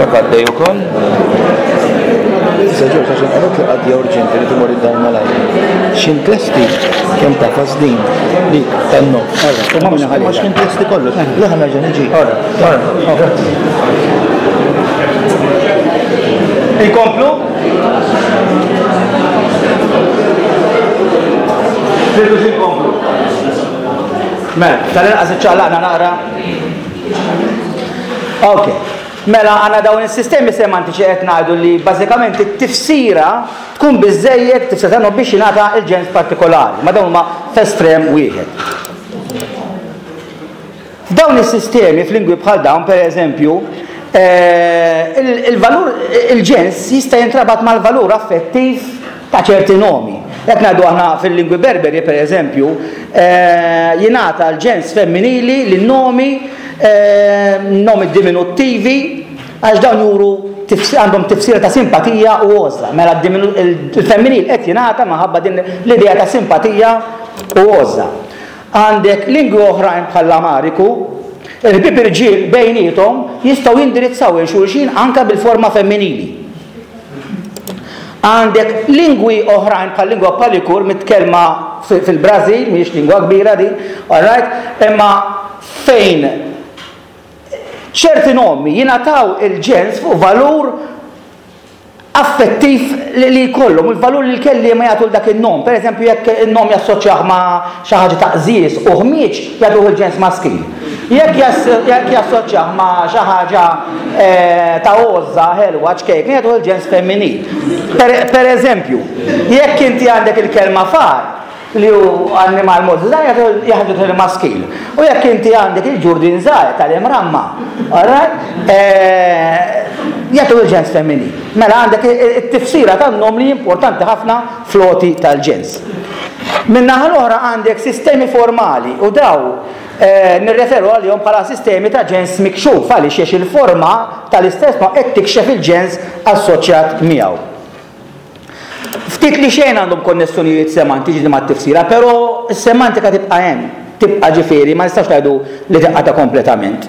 Dak għaddej ukoll. Issa Ġorġ għax inqalgħet li qadja urġenti li timur id-dar malajr. X'int lesti kemm tafas din dik tan-nofs. Ma x'int lesti kollox. Le ħa nerġa' niġi. Grazzi. Inkomplu? Tridu xi nkomplu? Mela, tal-inqas iċċaqlaqna naqra. Ok. Mela għandna dawn is-sistemi semantiċi qed ngħidu li bażikament it-tifsira tkun biżżejjed tifsira tagħhom biex jingħata il-ġens partikolari, ma dawn huma f'estrem wieħed. F'dawn is-sistemi f'lingwi bħal dawn, per eżempju, eh, il-valur il-ġens jista' jintrabat mal-valur affettiv ta' ċerti nomi. Jekk ngħidu aħna fil-lingwi Berberi, per eżempju, eh, jingħata l-ġens femminili lin-nomi eh, nomi diminuttivi għax dawn juru għandhom tifsira ta' simpatija u għożla. Mela il-femminil qed jingħata minħabba din l-idea ta' simpatija u għożla. Għandek lingwi oħrajn bħall-Amariku, il-ħbieb irġiel bejniethom jistgħu jindirizzaw 'il xulxin anke bil-forma femminili. Għandek lingwi oħrajn bħal lingwa Palikur mitkellma fil-Brażil, mhijiex lingwa kbira din, alright, imma fejn ċerti nomi jingħataw il-ġens fuq valur affettiv li jkollhom, il-valur li l-kelliema jagħtu l dak in-nom. Per eżempju, jekk in-nom jassoċjah ma' xi ħaġa ta' qżież u ħmieġ, jagħtuh il-ġens maskil. Jekk jassoċjah ma' xi ħaġa ta' għożża ħelwa ċkejkna jagħtuh il-ġens femminil. Per eżempju, jekk inti għandek il-kelma far, li hu annimal mod żgħir jagħtuh il-maskil. U jekk inti għandek il-ġurdien żgħir tal-imramma, alright, jagħtuh il-ġens femminil. Mela għandek it-tifsira tan-nom li importanti ħafna fl-għoti tal-ġens. Min-naħa l-oħra għandek sistemi formali u daw nirreferu għalihom bħala sistemi ta' ġens mikxuf għaliex għax il-forma tal-istess nom qed tikxef il-ġens assoċjat miegħu. Ftit li xejn għandhom konnessjonijiet semantiċi mat-tifsira, però s-semantika tibqa' hemm, tibqa' ġifieri ma nistgħux ngħidu li tinqata' kompletament.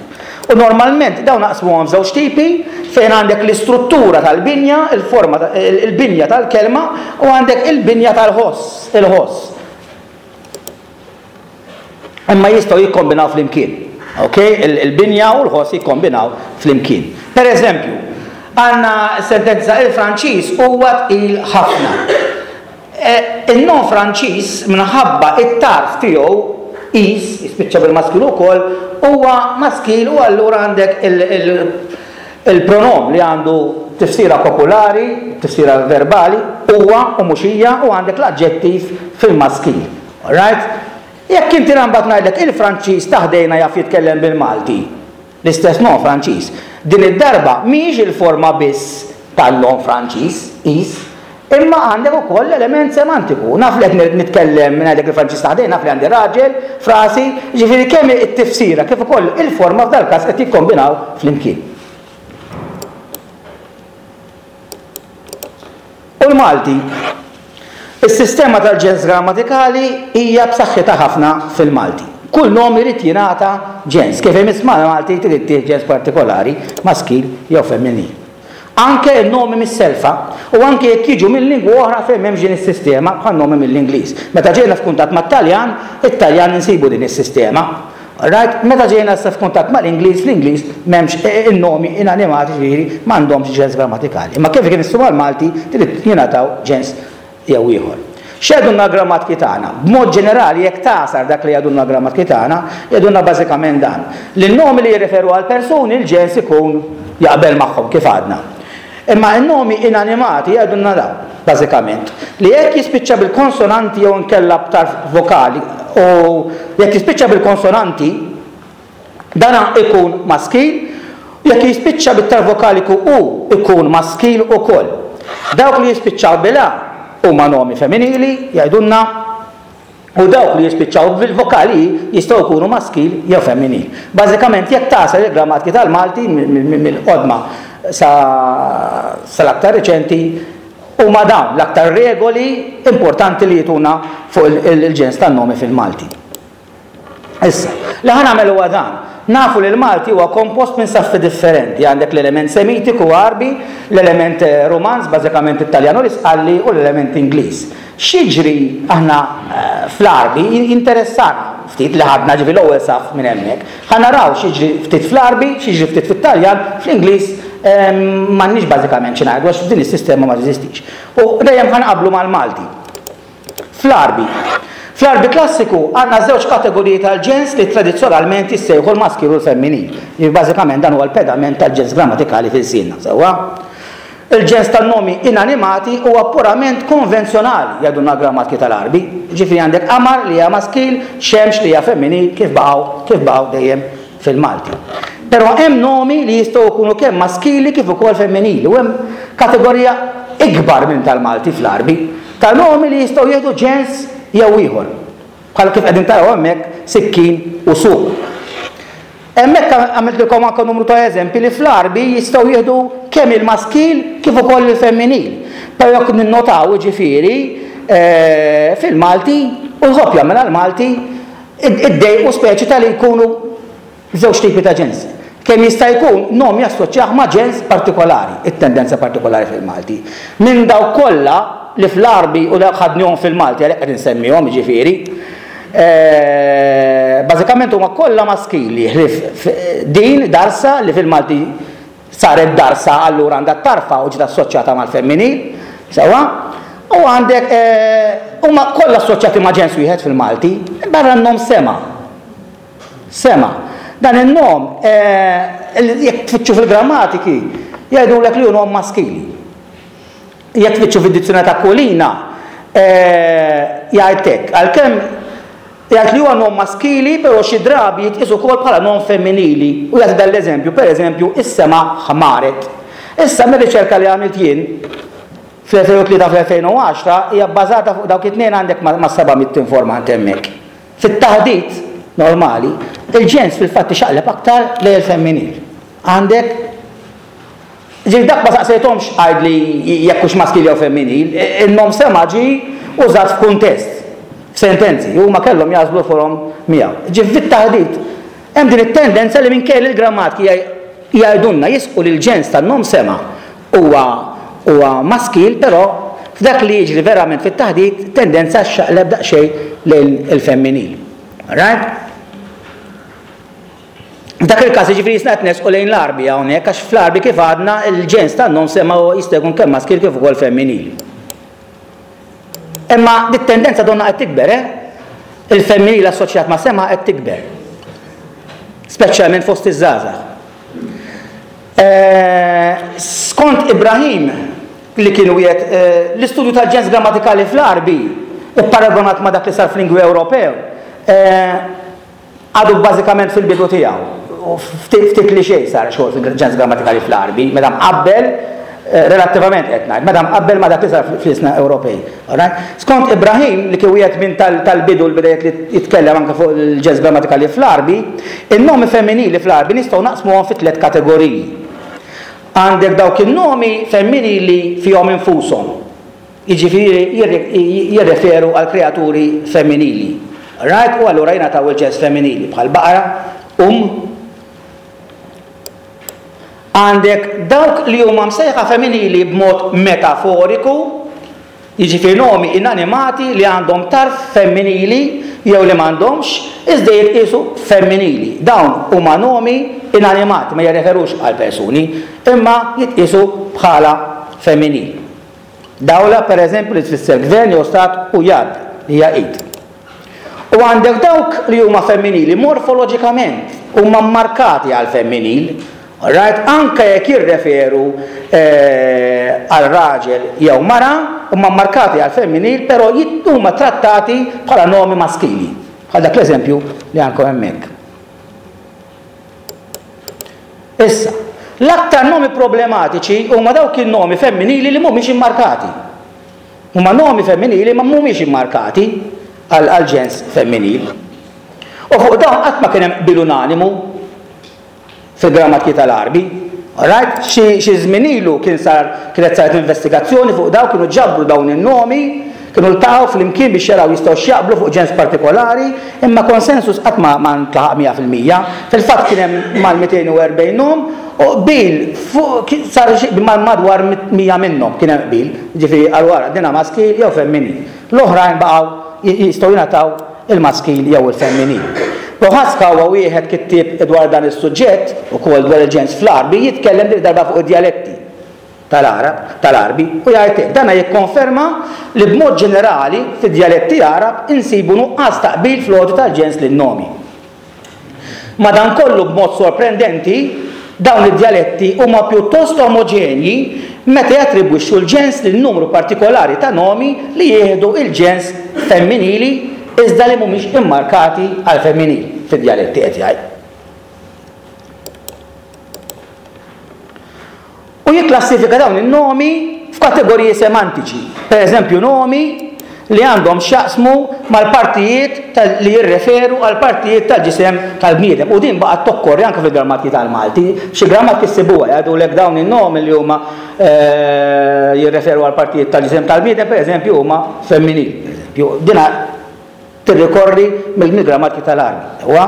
U normalment dawn naqsmuhom f'żewġ tipi fejn għandek l-istruttura tal-binja, il-forma il-binja tal-kelma u għandek il-binja tal-ħoss, il-ħoss. Imma jistgħu jikkombinaw flimkien. Ok? Il-binja u l-ħoss jikkombinaw flimkien. Per eżempju, għandna sentenza il-Franċiż huwa tqil ħafna. E, in-nom Franċiż minħabba it-tarf tiegħu is, jispiċċa bil-maskil ukoll, huwa maskil u allura għandek il-pronom li għandu tifsira popolari, tifsira verbali, huwa u mhux hija u għandek l-aġġettiv fil-maskil. Alright? Jekk inti mbagħad ngħidlek il-Franċiż ta' ħdejna jaf jitkellem bil-Malti, l-istess nom Franċiż, din id-darba mhijiex il-forma biss tal-nom Franċiż, is, imma għandek ukoll l-element semantiku. Naf li qed nitkellem ngħidlek il-Franċiż ta' ħdejna, naf li għandi raġel f'rasi, jiġifieri kemm it-tifsira kif ukoll il-forma f'dal-każ qed jikkombinaw flimkien. U l-Malti? Is-sistema tal-ġens grammatikali hija b'saħħitha ħafna fil-Malti. Kull nom irid jingħata ġens. Kif imiss mal-Malti trid ittih ġens partikolari, maskil jew femminil. Anke n-nomi mis-selfa u anke jekk jiġu minn lingwa oħra fejn m'hemmx din is-sistema bħan-nomi mill-Ingliż. Meta ġejna f'kuntatt mat-Taljan, it-Taljan insibu din is-sistema. Right? Meta ġejna issa f'kuntatt mal-Ingliż, fl-Ingliż m'hemmx in-nomi inanimati ġifieri m'għandhomx ġens grammatikali. Imma kif imissu mal-Malti trid jingħataw ġens jew ieħor. X'jgħidulna l-grammatki tagħna? B'mod ġenerali jekk tagħsar dak li jgħidulna l-grammatki tagħna, jgħidulna bażikament dan. Li n-nomi li jirreferu għal persuni l-ġens ikun jaqbel magħhom kif għadna. Imma n-nomi inanimati jgħidulna dan, bażikament, li jekk jispiċċa bil-konsonanti jew inkella b'tarf vokali u jekk jispiċċa bil-konsonanti, dan ikun maskil, jekk jispiċċa bit-tarf vokaliku u ikun maskil ukoll. Dawk li jispiċċaw bil-a huma nomi femminili, jgħidulna, U dawk li jispiċċaw bil-vokali i jistgħu jkunu maskil jew femminil. Bażikament jekk tagħsel il-grammatki tal-Malti mill-qodma sal-aktar riċenti huma dawn l-aktar regoli importanti li jtuna fuq il-ġens tan-nomi fil-Malti. Issa, li ħa nagħmel huwa dan. Nafu li l-Malti huwa kompost minn saffi differenti. Għandek l-element Semitiku Għarbi, l-element Rumanz, bażikament it-Taljan u l-Isqalli, u l-element Ingliż. X'jiġri aħna fl-Għarbi jinteressana ftit li ħadna ġifieri l-ewwel saff minn hemmhekk. Ħa naraw x'jiġri ftit fl-Għarbi, x'jiġri ftit fit-Taljan, fl-Ingliż m'għandniex bażikament xi ngħidu għax din is-sistema ma teżistix. U dejjem ħa nqabblu mal-Malti. Fl-Għarbi. Fl-Għarbi klassiku għandna żewġ kategoriji tal-ġens li tradizzjonalment jissejħu l-maskil u l-femminil. Jiġifieri bażikament dan huwa l-pedament tal-ġens grammatikali fi lsienna, sewwa? Il-ġens tan-nomi inanimati huwa purament konvenzjonali, jgħidulna l-grammatki tal-Għarbi. Jiġifieri għandek qamar li hija maskil, xemx li hija femminil kif baqgħu kif baqgħu dejjem fil-Malti. Però hemm nomi li jistgħu jkunu kemm maskili kif ukoll femminili u hemm kategorija ikbar minn tal-Malti fl-Għarbi ta' nomi li jistgħu jieħdu ġens jew ieħor. Bħal kif qegħdin taraw hemmhekk sikkin u suq. Hemmhekk għamiltilkom anke numru ta' eżempji li fl-Għarbi jistgħu jieħdu kemm il-maskil kif ukoll il-femminil. Però jekk ninnotaw jiġifieri fil-Malti u jħobb jagħmilha l-Malti iddejqu speċi ta' li jkunu żewġ tipi ta' ġens. Kemm jista' jkun nom jassoċjah ma' ġens partikolari, it-tendenza partikolari fil-Malti. Minn dawk kollha li fl-Għarbi u dawk ħadnihom fil-Malti għalhekk qed insemmihom jiġifieri, bażikament huma kollha maskili ħlief din darsa li fil-Malti saret darsa allura għandha t-tarfa u ġiet assoċjata mal-femminil, sewwa? U għandek huma kollha assoċjati ma' ġens wieħed fil-Malti, barra n-nom sema. Sema. Dan in-nom jekk tfittxu fil-grammatiki jgħidulek li hu nom maskili. Jekk tfittxu fid-dizzjunarju ta' Aquilina, jgħid hekk, għalkemm jgħid li huwa nom maskili, però xi drabi jitqies ukoll bħala nom femminili u jagħti dan l-eżempju, pereżempju, is-sema ħmaret. Issa mir-riċerka li għamilt jien fl-2003 fl-2010 hija bbażata fuq dawk it-tnejn għandek mas-700 informant hemmhekk. Fit-taħdit normali, il-ġens fil-fatt ixaqleb aktar lejn il-femminil. Għandek Ġifieri dak ma saqsejthomx għidli jekk hux maskil jew femminil, in-nom sema ġie użat f'kuntest, f'sentenzi, u huma kellhom jagħżlu l-forom miegħu. Ġifieri fit-taħdit hemm din it-tendenza li minkejja li l-grammatiki jgħidulna jisqu li l-ġens tan-nom sema huwa huwa maskil, però f'dak li jiġri verament fit-taħdit tendenza xxaqleb daqsxejn lejn il-femminil. Alright? F'dak il-każ jiġifieri jisna qed nersqu lejn l-Għarbi hawnhekk għax fl-Għarbi kif għadna l-ġens tan-nom sema jista' jkun kemm maskil kif ukoll femminil. Imma dit-tendenza donna qed tikber, eh? Il-femminil assoċjat ma' sema qed tikber. Speċjalment fost iż-żgħażagħ. Eh, skont Ibrahim, li kien wieħed eh, l-istudju tal-ġens grammatikali fl-Għarbi, ipparagonat ma' dak li sar fl-lingwi Ewropew, eh, Għadu bażikament fil-bidu tiegħu, u ftit ftit li xejn sar xogħol fil-ġens grammatikali fl-Għarbi, meta mqabbel, relattivament qed ngħid, meta mqabbel ma' dak li sar fl-ilsna Ewropej. Alright? Skont Ibrahim, li kien wieħed minn tal-bidu l-bidejjet li jitkellem anke fuq il-ġens grammatikali fl-Għarbi, in-nomi femminili fl-Għarbi nistgħu naqsmuhom fi tliet kategoriji. Għandek dawk in-nomi femminili fihom infushom. Jiġifieri jirreferu għal kreaturi femminili. Right? U allura jingħataw il-ġens femminili bħal baqra, umm. Għandek dawk li huma msejħa femminili b'mod metaforiku, jiġifieri nomi inanimati li għandhom tarf femminili jew li m'għandhomx, iżda jitqiesu femminili. Dawn huma nomi inanimati, ma jirreferux għal persuni, imma jitqiesu bħala femminili. Dawla, per eżempju, li tfisser gvern jew stat u yad, li hija id. U għandek dawk li huma femminili morfoloġikament, huma mmarkati għal femminil, alright, anke jekk jirreferu għal raġel jew mara, huma mmarkati għal femminil, però huma trattati bħala nomi maskili, bħal dak l-eżempju li għandkom hemmhekk. Issa, l-aktar nomi problematiċi huma dawk in-nomi femminili li mhumiex immarkati. Huma nomi femminili ma mhumiex immarkati għal ġens femminil. U fuq dawn qatt ma kien hemm qbil unanimu fil-grammatki tal-Għarbi. Alright? Xi żmien ilu kien sar kienet saret investigazzjoni fuq dawn kienu ġabru dawn in-nomi, Kienu ltaqgħu flimkien biex jaraw jistgħux jaqblu fuq ġens partikolari, imma konsensus qatt ma ntlaħaq 100%. Fil-fatt kien hemm mal-240 nom u qbil fuq sar xi madwar 100 minnhom kien hemm qbil, jiġifieri qalu ara dina maskil jew femminil. L-oħrajn baqgħu jistgħu jingħataw il-maskil jew il-femminil. Prohaska huwa wieħed kittieb dwar dan is-suġġett, ukoll dwar il-ġens fl-Għarbi, jitkellem din id-darba fuq id-djaletti tal-Għarab, tal-Għarbi, u jgħid hekk, Dana jikkonferma li b'mod ġenerali fid-djaletti Għarab insibu nuqqas ta' qbil fl-għoti tal-ġens lin-nomi. Madankollu b'mod sorprendenti, dawn id-djaletti huma pjuttost omoġenji meta jattribwixxu l-ġens lil numru partikolari ta' nomi li jieħdu l-ġens femminili iżda li mhumiex immarkati għall-femminil fid-djaletti qed jgħid. U jikklassifika dawn in-nomi f'kategoriji semantiċi, pereżempju nomi li għandhom x'jaqsmu mal-partijiet li jirreferu għall-partijiet tal-ġisem tal-bniedem. U din baqgħet tokkorri anke fil-grammatki tal-Malti. Xi grammatki ssibuha jgħidulek dawn in-nomi li huma eh, jirreferu għall-partijiet tal-ġisem tal-bniedem, pereżempju huma femminil. Pereżempju, dina tirrikorri mill-grammatki tal-Għarbi. Sewwa?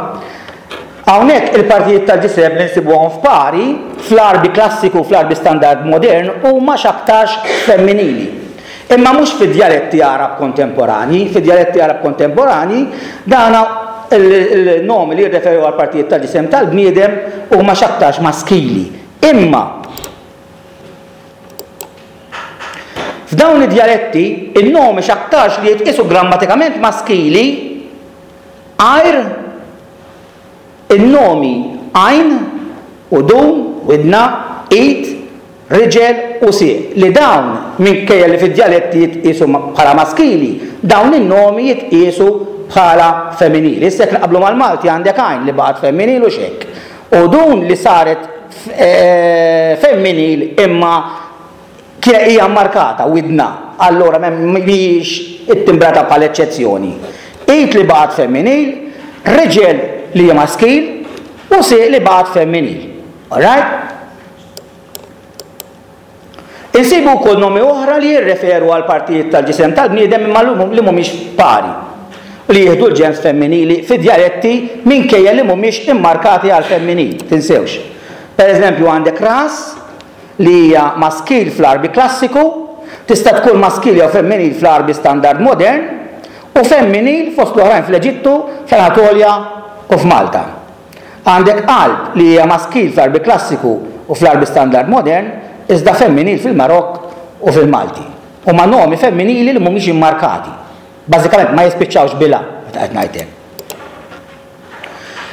Hawnhekk il-partijiet tal-ġisem li nsibuhom f'pari, fl-Għarbi klassiku u fl-Għarbi standard modern huma x'aktarx femminili. Imma mhux fid-djaletti Għarab kontemporanji. Fid-djaletti Għarab kontemporanji dana il-nomi li jirreferu għall-partijiet tal-ġisem tal-bniedem huma x'aktarx maskili. Imma F'dawn id-djaletti, in-nomi x'aktarx li jitqiesu grammatikament maskili għajr in-nomi għajn, udun, widna, id, riġel u sieq, li dawn, minkejja li fid-djaletti jitqiesu bħala maskili, dawn in-nomi jitqiesu bħala femminili. Issa jekk nqabblu mal-Malti għandek għajn li baqgħet femminil u x'hekk. Udun li saret femminil imma kienet hija mmarkata widna, allura mhijiex ittimbrata bħala eċċezzjoni. Id li baqgħet femminil, riġel li hija maskil u sieq li baqgħet femminil. Alright? Insibu wkoll nomi oħra li jirreferu għal partijiet tal-ġisem tal-bniedem imma li mhumiex pari u li jieħdu l-ġens femminili fi djaletti minkejja li mhumiex immarkati għal femminil, tinsewx. Per eżempju għandek ras li hija maskil fl-Għarbi klassiku, tista' tkun maskil jew femminil fl-Għarbi standard modern, u femminil fost l-oħrajn fl-Eġittu, fl-Anatolja u f'Malta. Għandek qalb li hija maskil fl-Għarbi klassiku u fl-Għarbi standard modern, iżda femminil fil-Marokk u fil-Malti. Huma nomi femminili li mhumiex immarkati. Bażikament ma jispiċċawx bil-a meta qed ngħid hekk.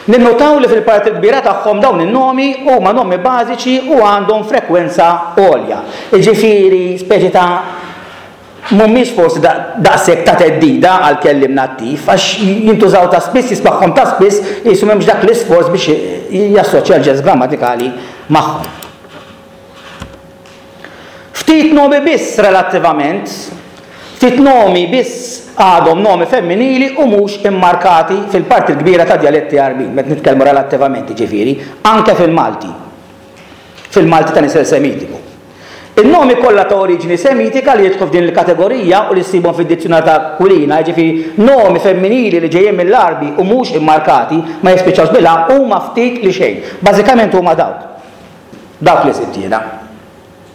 Ninnutaw li fil-parti l-kbira tagħhom dawn in-nomi huma nomi bażiċi u għandhom frekwenza għolja. Jiġifieri speċi ta' mhumiex forsi daqshekk ta' theddida għall-kelliem nattiv, għax jintużaw ta' spiss, jismagħhom ta' spiss, qisu m'hemmx dak l-isforz biex jassoċja l-ġens grammatikali magħhom. Ftit nomi biss relattivament, ftit nomi biss għadhom nomi femminili u mhux immarkati fil-parti l-kbira ta' djaletti Għarbin, meta nitkellmu relattivament jiġifieri, anke fil-Malti. Fil-Malti ta' nisel Semitiku. In-nomi kollha ta' oriġini Semitika li jidħlu f'din il-kategorija u li ssibhom fid-dizzjunarju ta' Aquilina, jiġifieri nomi femminili li ġejjin mill-Għarbi u mhux immarkati, ma jispiċċawx bil-a, huma ftit li xejn. Bażikament huma dawk. Dawk li sibt jiena.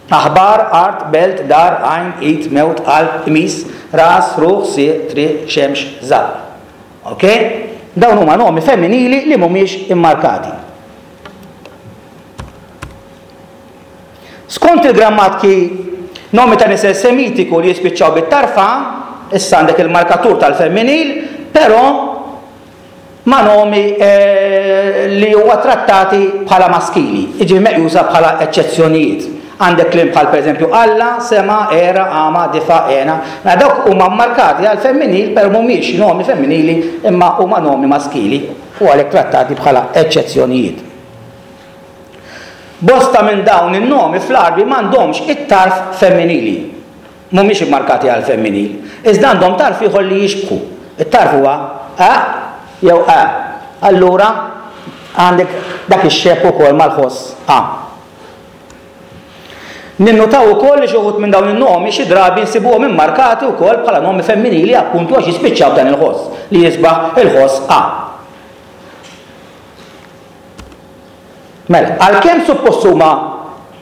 Aħbar, art, belt, dar, għajn, id, mewt, qalb, qmis, ras, ruħ, sieq, triq, xemx, żaqq. Ok? Dawn huma nomi femminili li mhumiex immarkati. Skont il-grammatki, nomi ta' nisel Semitiku li jispiċċaw bit-tarfa, issa għandek il-markatur tal-femminil, però ma' nomi li huwa trattati bħala maskili, jiġifieri meqjusa bħala eċċezzjonijiet. Għandek kliem bħal pereżempju Alla, sema, era, għama, difa', għena. Mela dawk huma mmarkati għall-femminil però mhumiex nomi femminili imma huma nomi maskili u għalhekk trattati bħala eċċezzjonijiet. Bosta minn dawn in-nomi fl-Għarbi m'għandhomx it-tarf femminili. Mhumiex immarkati għall-femminil. Iżda għandhom tarf ieħor li jixbħu. It-tarf huwa a jew ä. Allura għandek dak ix-xebh ukoll mal-ħoss a. Ninnutaw ukoll li xi wħud minn dawn in-nomi xi drabi nsibuhom immarkati wkoll bħala nomi femminili appuntu għax jispiċċaw b'dan il-ħoss li jisbaħ il-ħoss a. Mela, għalkemm suppost huma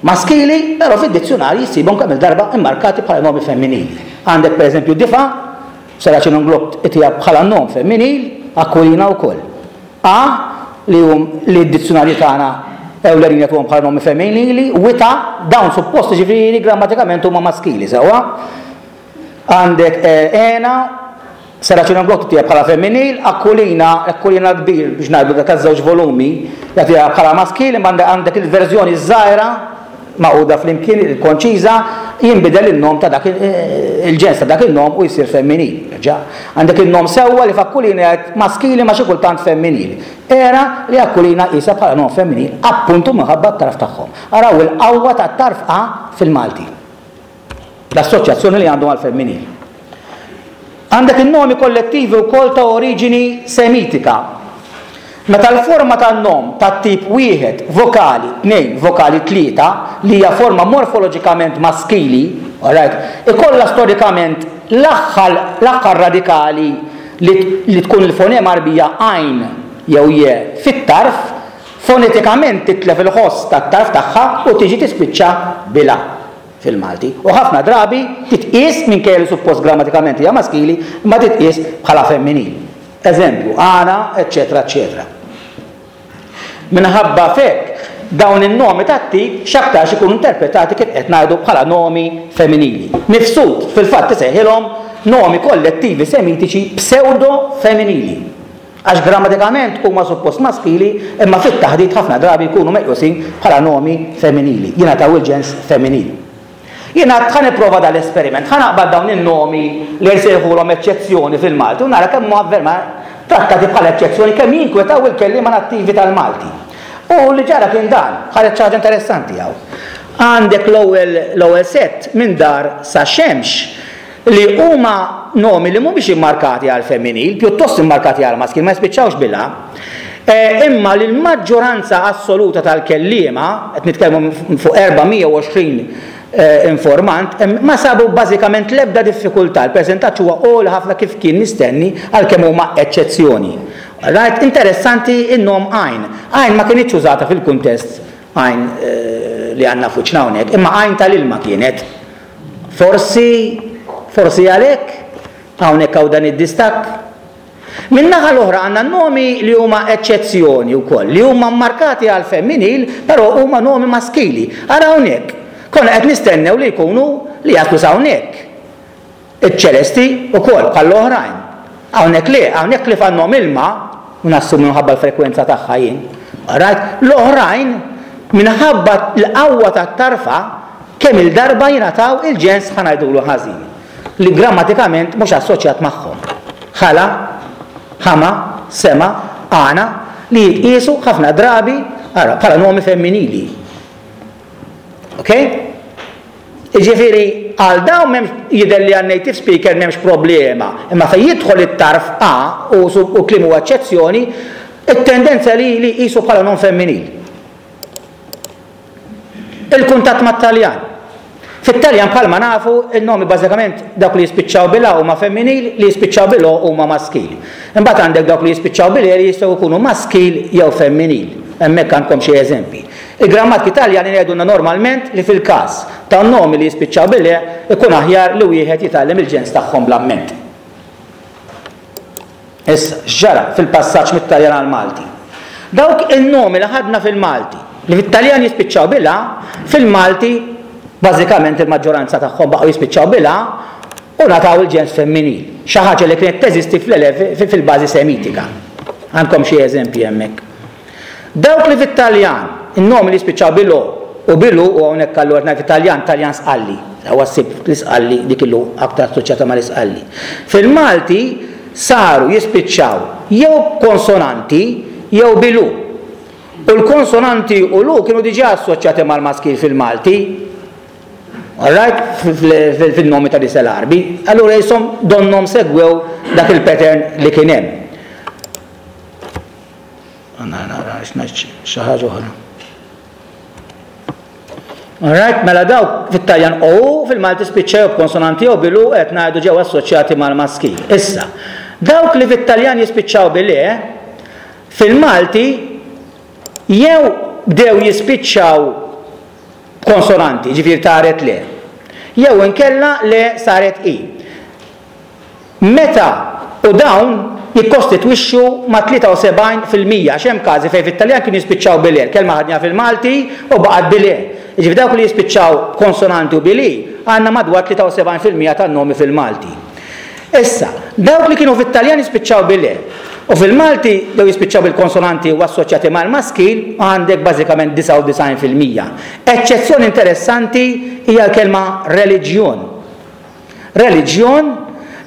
maskili, però fid-dizzjunarji ssibhom kemm-il darba immarkati bħala nomi femminili. Għandek pereżempju difa, Saracen Unglot itiha bħala nom femminil, Aquilina wkoll. A, li hum li d-dizzjunarji tagħna ewlenin jagħtuhom bħala nomi femminili, wita, dawn suppost jiġifieri grammatikament huma maskili, sewwa? Għandek ena, Saracen Unglot itiha bħala femminil, Aquilina, Aquilina l-kbir biex ngħidu dak taż-żewġ volumi, jagħtiha bħala maskil, imma għandek il-verżjoni ż-żgħira magħquda flimkien, il-konċiża, jinbidel in-nom ta' dak il-ġens ta' dak in-nom u jsir femminil. Ġa, għandek in-nom sewwa li f'Akkulina jgħid maskili ma xi kultant femminil. Era li Akkulina qisha bħala nom femminil appuntu minħabba t-tarf tagħhom. Araw il-qawwa tat-tarf a fil-Malti. L-assoċjazzjoni li għandu mal-femminil. Għandek in-nomi kollettivi wkoll ta' oriġini Semitika. Meta l-forma tan-nom tat-tip wieħed, vokali, tnejn, vokali tlieta, li hija forma morfoloġikament maskili, alright, ikollha storikament l-aħħar l-aħħar radikali li li tkun il-fonema Għarbija għajn jew je fit-tarf, fonetikament titlef il-ħoss tat-tarf tagħha u tiġi tispiċċa bil-a. fil-Malti, u ħafna drabi titqies, minkejja li suppost grammatikament hija maskili, imma titqies bħala femminil. Eżempju, għana, eċċetera eċċetera. Minħabba f'hekk, dawn in-nomi tat-tip x'aktarx ikunu interpretati kif qed ngħidu bħala nomi femminili. Mifsud fil-fatt isejħilhom nomi kollettivi semitiċi psewdo-femminili. Għax grammatikament huma suppost maskili imma fit-taħdit ħafna drabi jkunu meqjusin bħala nomi femminili, jingħataw il-ġens femminil. Jien għedt ħa nipprova dal-esperiment, ħa naqbad dawn in-nomi li nsejħulhom eċċezzjoni fil-Malti u nara kemm huma verament trattati bħala eċċezzjoni, kemm jinkwetaw il-kelliema nattivi tal-Malti. U li ġara kien dan, ħareġ xi ħaġa interessanti hawn. Għandek l-ewwel l-ewwel sett minn dar sa xemx Li huma nomi li mhumiex immarkati għall-femminil, pjuttost immarkati għall-maskil, ma jispiċċawx bil-a. Imma li l-maġġoranza assoluta tal-kelliema, qed nitkellmu fuq 420 informant, ma sabu bażikament l-ebda diffikultà. Il-persentaġġ huwa għoli ħafna kif kien mistenni għalkemm huma eċċezzjoni. Right? Interessanti n-nom għajn. Għajn ma kinitx użata fil-kuntest għajn li għandna f'wiċċna hawnhekk, imma għajn tal-ilma kienet. Forsi, forsi għalhekk, hawnhekk hawn dan id-distakk. Min-naħa l-oħra għandna nomi li huma eċċezzjoni wkoll, li huma mmarkati għal femminil, però huma nomi maskili. Ara hawnhekk, konna qed nistennew li jkunu li jaslu sa hawnhekk. Iċ-ċelesti wkoll bħall-oħrajn. Hawnhekk le, hawnhekk ħlief għan-nom ilma, u nassumi minħabba l-frekwenza tagħha jien, alright, l-oħrajn minħabba l-qawwa tat-tarfa kemm-il darba jingħataw il-ġens ħa ngħidulu ħażin, li grammatikament mhux assoċjat magħhom. Ħala, ħama, sema, għana, li jitqiesu ħafna drabi, ara, bħala nomi femminili. Ok? Jiġifieri għal dawn m'hemmx jidher li għal native speaker m'hemmx problema, imma fejn jidħol it-tarf a u u kliem huwa eċċezzjoni, it-tendenza li li jqisu bħala nom femminil. Il-kuntatt mat-Taljan. Fit-Taljan bħalma nafu, in-nomi bażikament dawk li jispiċċaw bil-a huma femminil, li jispiċċaw bil-o huma maskil. Imbagħad għandek dawk li jispiċċaw bil-e li jistgħu jkunu maskil jew femminil. Hemmhekk għandkom xi eżempji. Il-grammatki Taljani jgħidulna normalment li fil-każ ta' nomi li jispiċċaw bil-e ikun aħjar li wieħed jitgħallem il-ġens tagħhom bl-amment. Issa, x'ġara fil-passaġġ mit-Taljan għall-Malti? Dawk in-nomi li ħadna fil-Malti, li fit-Taljan jispiċċaw bil-a, fil-Malti bażikament il-maġġoranza tagħhom baqgħu jispiċċaw bil-a u ngħataw il-ġens femminil, xi ħaġa li kienet teżisti fil-bażi Semitika. Għandkom xi eżempji hemmhekk. Dawk li fit-Taljan, in-nomi li jispiċċaw bil-o u bil-u, u hawnhekk allura qed ngħid fit-Taljan, Taljan Sqalli, sewwa ssib l-Isqalli dik il-u aktar assoċjata mal-Isqalli. Fil-Malti saru jispiċċaw jew b'konsonanti jew bil-u. U l-konsonanti u l-u kienu diġà assoċjati mal-maskil fil-Malti. Alright? Fin-nomi ta' nisel Għarbi. Allura jisom donnhom segwew dak il-pattern li kien hemm. Nara xi ħaġa oħra. Alright, mela dawk fit-Taljan o u fil-Malti spiċċa jew b'konsonanti jew bil-u qed ngħidu ġew assoċjati mal-maskil. Issa, dawk li fit-Taljan jispiċċaw bil-e, fil-Malti jew bdew jispiċċaw b'konsonanti, ġifieri taret le, jew inkella le saret i. Meta u dawn jikkostitwixxu mat-73% għax hemm każi fejn fit-Taljan kienu jispiċċaw bil-e, l-kelma ħadniha fil-Malti u baqgħet bil-e. Jiġifieri dawk li jispiċċaw b'konsonanti u bil-i għandna madwar 73% tan-nomi fil-Malti. Issa, dawk li kienu fit-Taljan jispiċċaw bil-e u fil-Malti bdew jispiċċaw bil-konsonanti u assoċjati mal-maskil għandek bażikament 99%. Eċċezzjoni interessanti hija l-kelma reliġjon. Reliġjon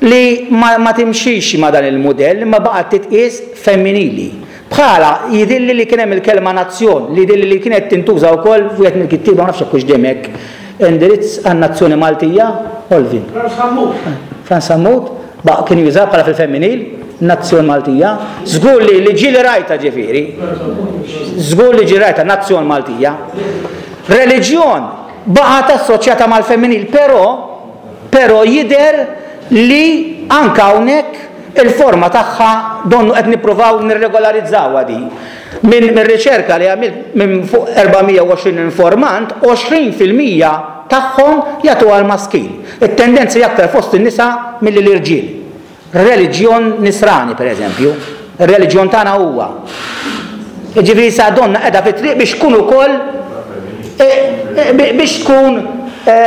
li ma ma timxix ma' dan il-mudell imma baqgħet titqies femminili. Bħalha jidhirli li kien hemm il-kelma nazzjon li jidhirli li kienet tintuża wkoll f'wieħed mill-kittieba ma nafx jekk hux dejjem hekk indirizz għan-nazzjoni Maltija, Olvin. Frans Sammut. Frans Sammut baqa' kien jużaha bħala fil-femminil, nazzjon Maltija. Żgur li li ġieli rajtha ġifieri. Żgur li ġieli rajtha nazzjon Maltija. Reliġjon baqgħet assoċjata mal-femminil, però però jidher li anke hawnhekk il-forma tagħha donnu qed nippruvaw nirregolarizzawha din. Minn mir-riċerka li għamilt minn fuq 420 informant, 20% tagħhom jagħtuha l-maskil. It-tendenza hija aktar fost in-nisa milli l-irġiel. Reliġjon Nisrani, per eżempju. Ir-reliġjon tagħna huwa. Jiġifieri sa donna qiegħda fit-triq biex tkun ukoll e, e, biex tkun e,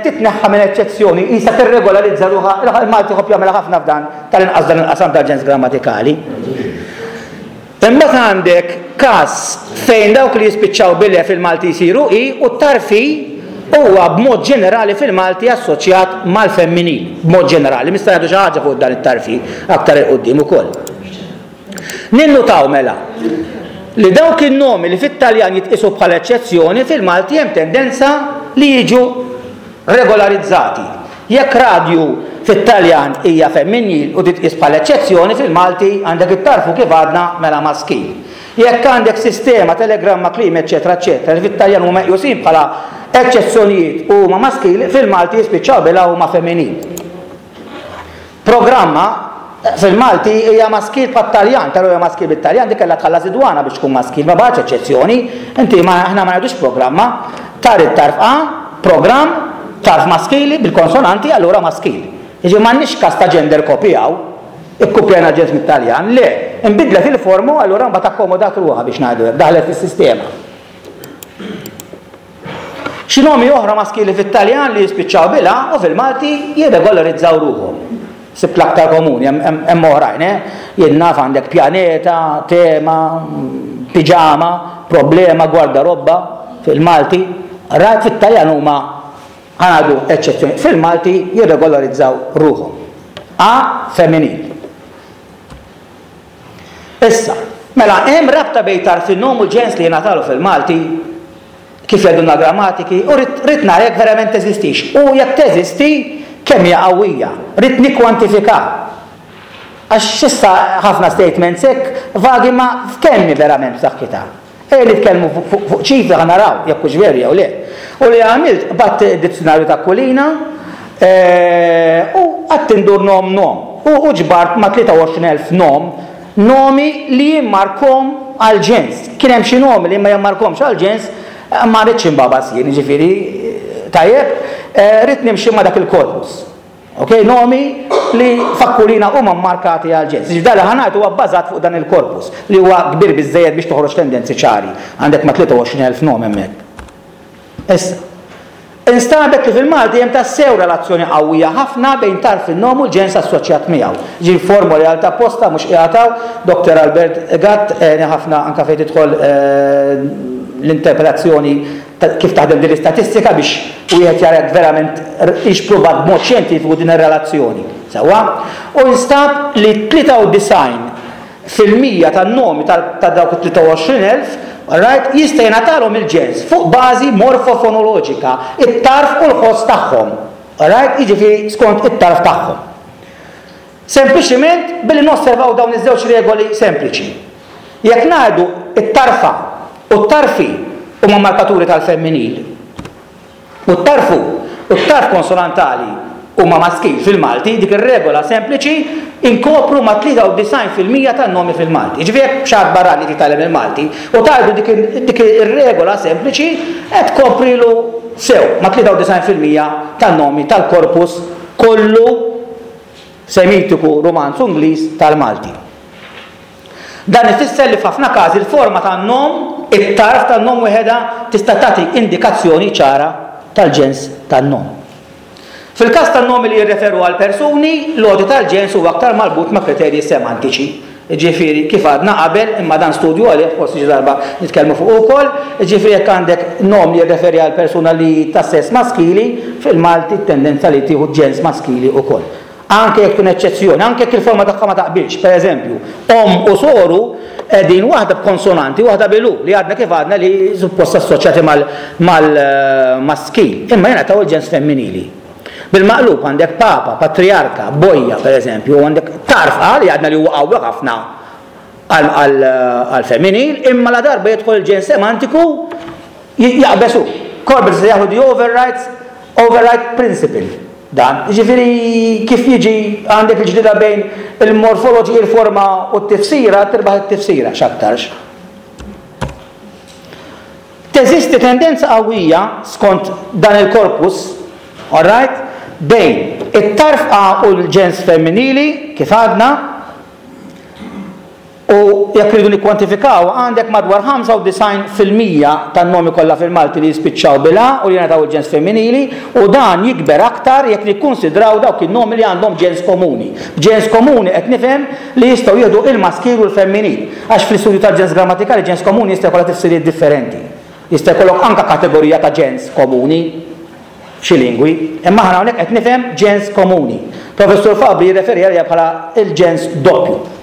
titneħħa minn eċċezzjoni, jista' tirregolarizza ruħha, il-Malti ħobb jagħmilha ħafna f'dan tal-inqas dan il-qasam tal-ġens grammatikali. Imbagħad għandek każ fejn dawk li jispiċċaw bil-e fil-Malti jsiru i u t-tarf i huwa b'mod ġenerali fil-Malti assoċjat mal-femminil, b'mod ġenerali. Nista' ngħidu xi ħaġa fuq dan it-tarf i aktar 'il quddiem ukoll. Ninnutaw mela li dawk in-nomi li fit-Taljan jitqiesu bħala eċċezzjoni fil-Malti hemm tendenza li jiġu regolarizzati. Jekk radju fit-Taljan hija femminil u titqies bħala eċċezzjoni, fil-Malti għandek it-tarfu kif għadna mela maskil. Jekk għandek sistema, telegramma, klima eċċetera eċċetera li fit-Taljan huma meqjusin bħala eċċezzjonijiet u huma maskil, fil-Malti jispiċċaw bil-a huma femminil. Programma, fil-Malti hija maskil bħat-Taljan, però hija maskil bit-Taljan, dik kellha tħallas id-dwana biex tkun maskil, ma baqgħetx eċċezzjoni. Inti ma aħna ma ngħidux programma, tar it-tarf A, programm, tarf maskili bil-konsonanti, allura maskil. Jiġifieri m'għandniex każ ta' gender copy hawn, ikkupjajna l-ġens mit-Taljan, le, inbidlet il-forma u allura mbagħad akkomodat ruħha biex ngħidu hekk, daħlet fis-sistema. Xi nomi oħra maskili fit-Taljan li jispiċċaw bil-a u fil-Malti jirregolarizzaw ruħhom. Sibt l-aktar komuni, hemm oħrajn, eh? Jien naf għandek pjaneta, tema, piġama, problema, gwardarobba fil-Malti. Rajt fit-Taljan huma ħa ngħidu eċċezzjoni, fil-Malti jirregolarizzaw ruħhom. A femminil. Issa, mela hemm rabta bejn tarf in-nom u l-ġens li jingħatalu fil-Malti, kif jgħidulna l-grammatiki, u rrid rrid nara jekk verament teżistix u jekk teżisti kemm hija qawwija. Ridt nikkwantifikaha. Għax s'issa ħafna statements hekk vagi ma f'kemm hi verament b'saħħitha. Ejja nitkellmu fuq ċifri ħa naraw jekk hux veru jew le. U li għamilt qbadt id-dizzjunarju ta' Kulina u qgħadt indur nom nom u ġbart ma' 23,000 nom nomi li jimmarkhom għall-ġens. Kien hemm xi nomi li ma jimmarkhomx għall-ġens ma rridx inbagħbas jien, jiġifieri tajjeb, ridt nimxi ma' dak il-korpus. Ok, nomi li f'Akkulina huma mmarkati għall-ġens. Jiġifieri dan li ħa ngħid huwa bbażat fuq dan il-korpus li huwa kbir biżżejjed biex toħroġ tendenzi ċari. Għandek ma' 23,000 nom hemmhekk. Issa, instabet li fil-Malti hemm tassew relazzjoni qawwija ħafna bejn tarf in-nom u l-ġens assoċjat miegħu. Jiġifieri formoli għal ta' apposta mhux qiegħed hawn, Doctor Albert Gatt għeni ħafna anke fejn tidħol l-interpretazzjoni kif taħdem din l-istatistika biex wieħed jara jekk verament hix pruvat b'mod xjentifiku din ir-relazzjoni. Sewwa? U nstab li 93% tan-nomi ta' dawk it-23,000, alright, jista' jingħatalhom il-ġens fuq bażi morfofonoloġika, it-tarf u l-ħoss tagħhom. Alright? Jiġifieri skont it-tarf tagħhom. Sempliċiment billi nosservaw dawn iż-żewġ regoli sempliċi. Jekk ngħidu t-tarfa u t-tarfi huma markaturi tal-femminil. U t-tarf u u t-tarf konsonantali huma maskil fil-Malti, dik ir-regola sempliċi inkopru ma' 93% tan-nomi fil-Malti. Jiġifieri jekk xi ħadd barrani qed jitgħallem il-Malti u tgħidlu dik dik ir-regola sempliċi qed tkoprilu sew ma' 93% tan-nomi tal-korpus kollu Semitiku, Rumanz u Ingliż tal-Malti. Dan ifisser li f'ħafna każi l-forma tan-nom, it-tarf tan-nom weħedha tista' tagħti indikazzjoni ċara tal-ġens tan-nom. Fil-każ ta' nomi li jirreferu għal persuni, l-għoti tal-ġens huwa aktar marbut ma' kriterji semantiċi. Jiġifieri, kif għadna qabel, imma dan studju għalih, forsi xi darba nitkellmu fuqu wkoll, jiġifieri jekk għandek nom li jirreferi għal persuna li hi ta' sess maskili, fil-Malti t-tendenza li tieħu ġens maskili wkoll. Anke jekk tkun eċċezzjoni, anke jekk il-forma tagħha ma taqbilx. Per eżempju, omm u soru qegħdin waħda b'konsonanti u waħda bil-u, li għadna kif għadna li suppost assoċjati mal-maskil, imma jingħataw il-ġens femminili. Bil-maqlub għandek papa, patrijarka, bojja, per eżempju, u għandek tarf A li għadna li huwa qawwi ħafna għall-femminil, imma la darba jidħol il-ġens semantiku jaqbeż hu. Corbett se jaħdu the overrides, override principle. Dan, jiġifieri kif jiġi għandek il-ġlieda bejn il-morfoloġi, il-forma u t-tifsira, tirbaħ it-tifsira x'aktarx. Teżisti tendenza qawwija, skont dan il-korpus, all right, bejn it-tarf A u l-ġens femminili, kif għadna, u jekk irridu nikkwantifikaw, għandek madwar 95% tan-nomi kollha fil-Malti li jispiċċaw bil-A u li jingħataw il-ġens femminili, u dan jikber aktar jekk nikkunsidraw dawk in-nomi li għandhom ġens komuni. B'ġens komuni qed nifhem li jistgħu jieħdu il-maskil u l-femminil. Għax fl-istudju tal-ġens grammatikali ġens komuni jista' jkollha tifsiriet differenti. Jista' jkollok anke kategorija ta' ġens komuni f'xi lingwi, imma aħna hawnhekk qed nifhem ġens komuni. Professur Fabri jirreferi għaliha bħala l-ġens doppju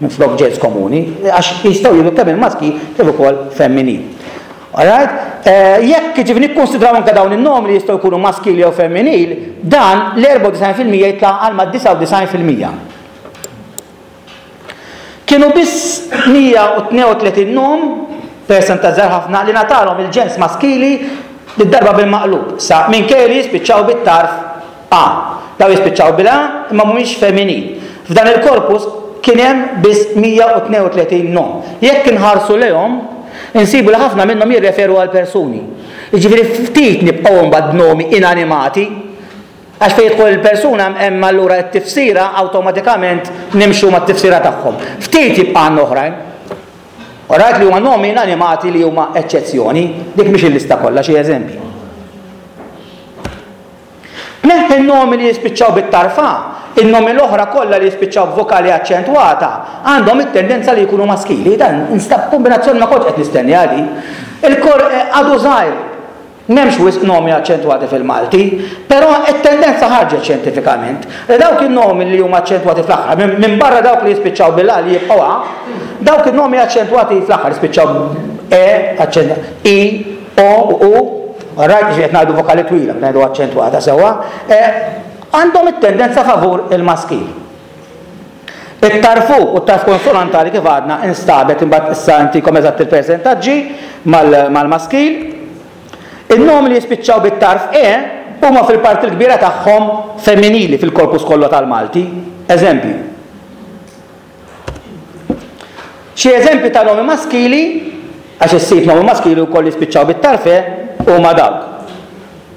minflok ġens komuni, għax jistgħu jieħdu kemm il-maskil kif ukoll femminil. Alright? Eh, jekk ġifi nikkonsidraw anke dawn in-nomi li jistgħu jkunu maskil jew femminil, dan l-94% jitla' għal ma' 99%. Kienu biss 132 nom, persentaġġ żgħir ħafna, li ngħatalhom il-ġens maskili did-darba bil-maqlub, sa minkejja li jispiċċaw bit-tarf a. Dawn jispiċċaw bil-a imma mhumiex feminin. F'dan il-korpus kien hemm biss 132 nom. Jekk inħarsu lejhom, insibu li ħafna minnhom jirreferu għal persuni. Jiġifieri ftit nibqgħu imbagħad b'nomi inanimati. Għax fejn jidħol il-persuna hemm allura t-tifsira awtomatikament nimxu mat-tifsira tagħhom. Ftit jibqa' għandna oħrajn. Alright li huma nomi inanimati li huma eċċezzjoni, dik mhix il-lista kollha xi eżempji. Tneħħi n-nomi li jispiċċaw bit-tarfa, in-nomi l-oħra kollha li jispiċċaw b'vokali aċċentwata għandhom it-tendenza li jkunu maskili. Dan instab kombinazzjoni ma kontx qed nistenni għali. Il-kor eh, għadu żgħir M'hemmx wisq nomi aċċentwati fil-Malti, però t-tendenza ħarġet xjentifikament li dawk in-nomi li huma aċċentwati fl-aħħar, minbarra dawk li jispiċċaw bil-a li jibqgħu a, dawk in-nomi aċċentwati fl-aħħar jispiċċaw e, aċċent, i, o u u, alright, jiġifieri qed ngħidu vokali twila, qed ngħidu aċċentwata sewwa, għandhom it-tendenza favur il-maskil. It-tarf u u t-tarf konsonantali kif għadna instabet imbagħad issa ntikom eżatt il-persentaġġi mal-maskil. In-nomi li jispiċċaw bit-tarf e huma fil-parti l-kbira tagħhom femminili fil-korpus kollu tal-Malti. Eżempji. Xi eżempji ta' nomi maskili, għax issib nomi maskili wkoll jispiċċaw bit-tarf e, huma dawk.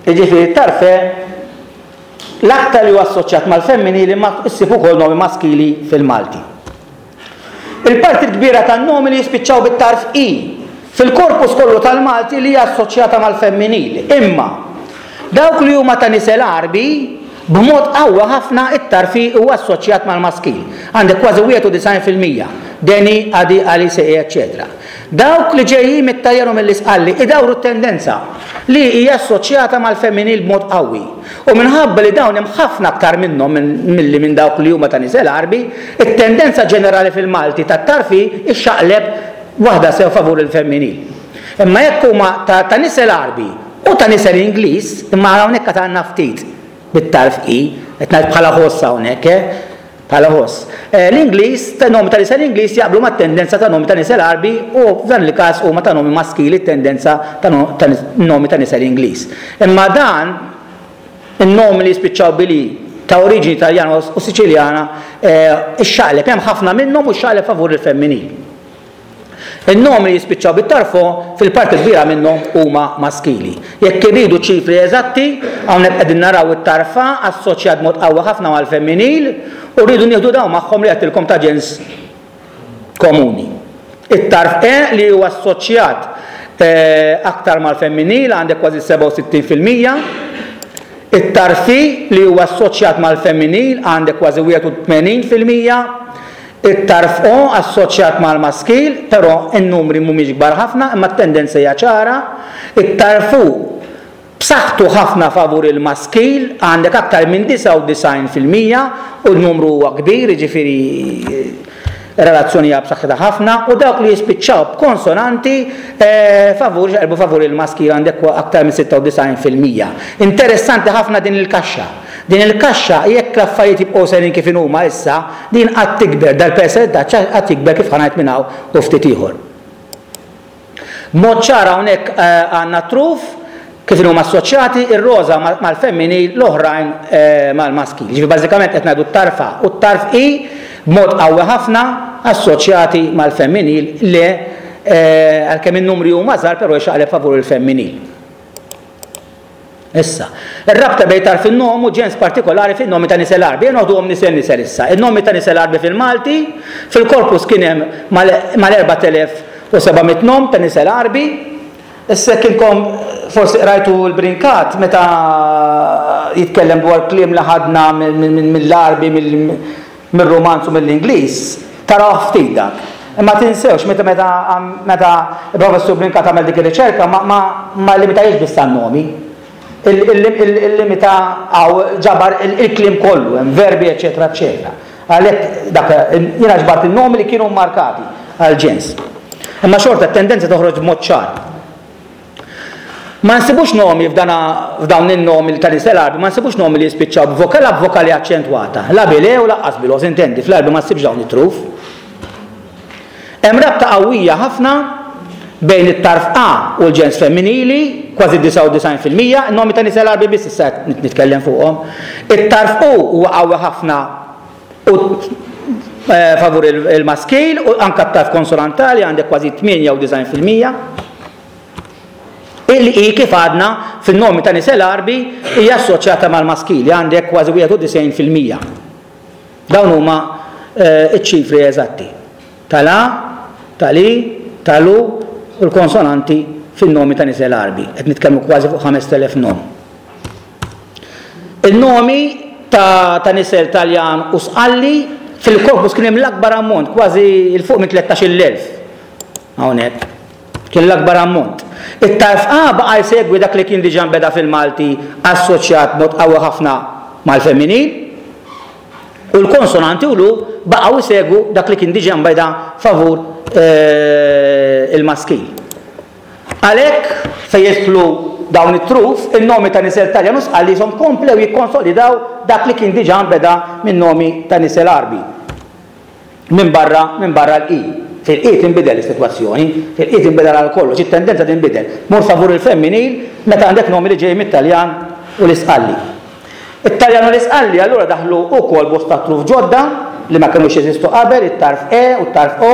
Jiġifieri t-tarf e L-aktar li huwa assoċjat mal-femminili imma issib ukoll nomi maskili fil-Malti. Il-parti l-kbira tan-nomi li jispiċċaw bit-tarf i fil-korpus kollu tal-Malti li hija assoċjata mal-femminil. Imma dawk li huma ta' nisel Għarbi, b'mod qawwi ħafna it-tarf i huwa assoċjat mal-maskil. Għandek kważi 91%, deni, adi, ali, seqi, eċċetera. Dawk li ġejjin mit-Taljan u mill-Isqalli idawru t-tendenza, li hija assoċjata mal-femminil b'mod qawwi. U minħabba li dawn hemm ħafna aktar minnhom milli minn dawk li huma ta' nisel Għarbi, it-tendenza ġenerali fil-Malti tat-tarf hi xxaqleb waħda sew favur il-femminil. Imma jekk huma ta' ta' nisel Għarbi u ta' nisel Ingliż, imma hawnhekk għad għandna ftit bit-tarf i, qed ngħid bħala ħoss hawnhekk, eh! Bħala ħoss. L-Ingliż, ta' nomi ta' nisel Ingliż jaqblu mat-tendenza ta' nomi ta' nisel Għarbi u f'dan il-każ huma ta' nomi maskili t-tendenza ta' nomi ta' nisel Ingliż. Imma dan in-nomi li jispiċċaw bil-i ta' oriġini Taljana u Siċiljana ixxaqleb, hemm ħafna minnhom u xxaqleb favur il-femminil. In-nomi li jispiċċaw bit-tarf o fil-parti l-kbira minnhom huma maskili. Jekk irridu ċifri eżatti, hawnhekk qegħdin naraw it-tarf a assoċjat b'mod qawwi ħafna mal-femminil u rridu nieħdu dawn magħhom li għedtilkom ta' ġens komuni. It-tarf e li huwa assoċjat aktar mal-femminil għandek kważi 67%. It-tarf i li huwa assoċjat mal-femminil għandek kważi 81%. It-tarf O assoċjat mal-maskil, però n-numri mhumiex kbar ħafna imma t-tendenza hija ċara. It-tarf U b'saħħtu ħafna favur il-maskil, għandek aktar minn 99% u n-numru huwa kbir, jiġifieri r-relazzjoni hija b'saħħitha ħafna, u dawk li jispiċċaw b'konsonanti favur xaqilbu favur il-maskil għandek aktar minn 96%. Interessanti ħafna din il-kaxxa. Din il-kaxxa jekk l-affarijiet jibqgħu sejrin kif inhuma issa, din għad tikber, dal-persentaġġ għad jikber kif ħa ngħid minn hawn u ftit ieħor. B'mod ċar hawnhekk għandna t-truf kif inhuma assoċjati, ir-roża mal-femminil, l-oħrajn mal-maskil. Jiġifieri bażikament qed ngħidu t-tarf A u t-tarf I b'mod qawwi ħafna assoċjati mal-femminil le għalkemm in-numri huma żgħar però jxaqleb favur il-femminil. Issa, ir-rabta bejn tarf in-nom u ġens partikolari fin-nomi ta' nisel Għarbi. Ejja noħduhom nisel nisel issa. In-nomi ta' nisel Għarbi fil-Malti, fil-korpus kien hemm mal-4700 nom ta' nisel Għarbi. Issa jekk inkom forsi qrajtu l-Brincat meta jitkellem dwar kliem li ħadna mill-Għarbi, mir-Rumanz u mill-Ingliż, tarawh ftit dak. Imma tinsewx, meta meta meta il-Professur Brincat għamel dik ir-riċerka ma ma ma llimitajiex biss għan-nomi. Il-limita hawn ġabar il-kliem kollu, hemm verbi eċċetera eċċetera. Għalhekk dak jiena ġbart in-nomi li kienu mmarkati għall-ġens. Imma xorta t-tendenza toħroġ b'mod ċar. Ma nsibux nomi f'dana f'dawn in-nomi ta' nisel Għarbi ma nsibux nomi li jispiċċaw b'vokala b'vokali aċċentwata, la bil-e u lanqas bil-o, sintendi, fl-Għarbi ma ssibx dawn it-truf. Hemm rabta qawwija ħafna bejn it-tarf a u l-ġens femminili, kważi 99%, in-nomi ta' nisel Għarbi biss issa qed nitkellem fuqhom. It-tarf u huwa qawwi ħafna u favur il-maskil u anke t-tarf konsonantali għandek kważi 98%. Il-i kif għadna fin-nomi ta' nisel Għarbi hija assoċjata mal-maskili, għandek kważi 91%. Dawn huma ċ-ċifri eżatti tal-a, tal-i, tal-u u l-konsonanti fin-nomi ta' nisel Għarbi. Qed nitkellmu kważi fuq 5000 nom. Il-nomi ta', ta nisel Taljan u Sqalli fil-korpus kien hemm l-akbar ammont, kważi 'l fuq minn 13,000 hawnhekk. Kien l-akbar ammont. It-tarf A baqa' jsegwi dak li kien diġà nbeda fil-Malti assoċjat b'mod qawwi ħafna mal-femminil, u l-konsonanti u l-u baqgħu jsegwu dak li kien diġà nbeda favur il-maskil. Għalhekk, fejn jidħlu dawn it-truf, in-nomi ta' nisel Taljan u Sqalli qishom komplew jikkonsolidaw dak li kien diġà nbeda min-nomi ta' nisel Għarbi. Minbarra minbarra l-i. Fil-i tinbidel is-sitwazzjoni, fil-i tinbidel għal kollox, it-tendenza tinbidel. Tmur favur il-femminil meta għandek nomi li ġejjin mit-Taljan u l-Isqalli. It-Taljan u l-Isqalli allura daħlu wkoll bosta truf ġodda li ma kinux jeżistu qabel, it-tarf e u t-tarf o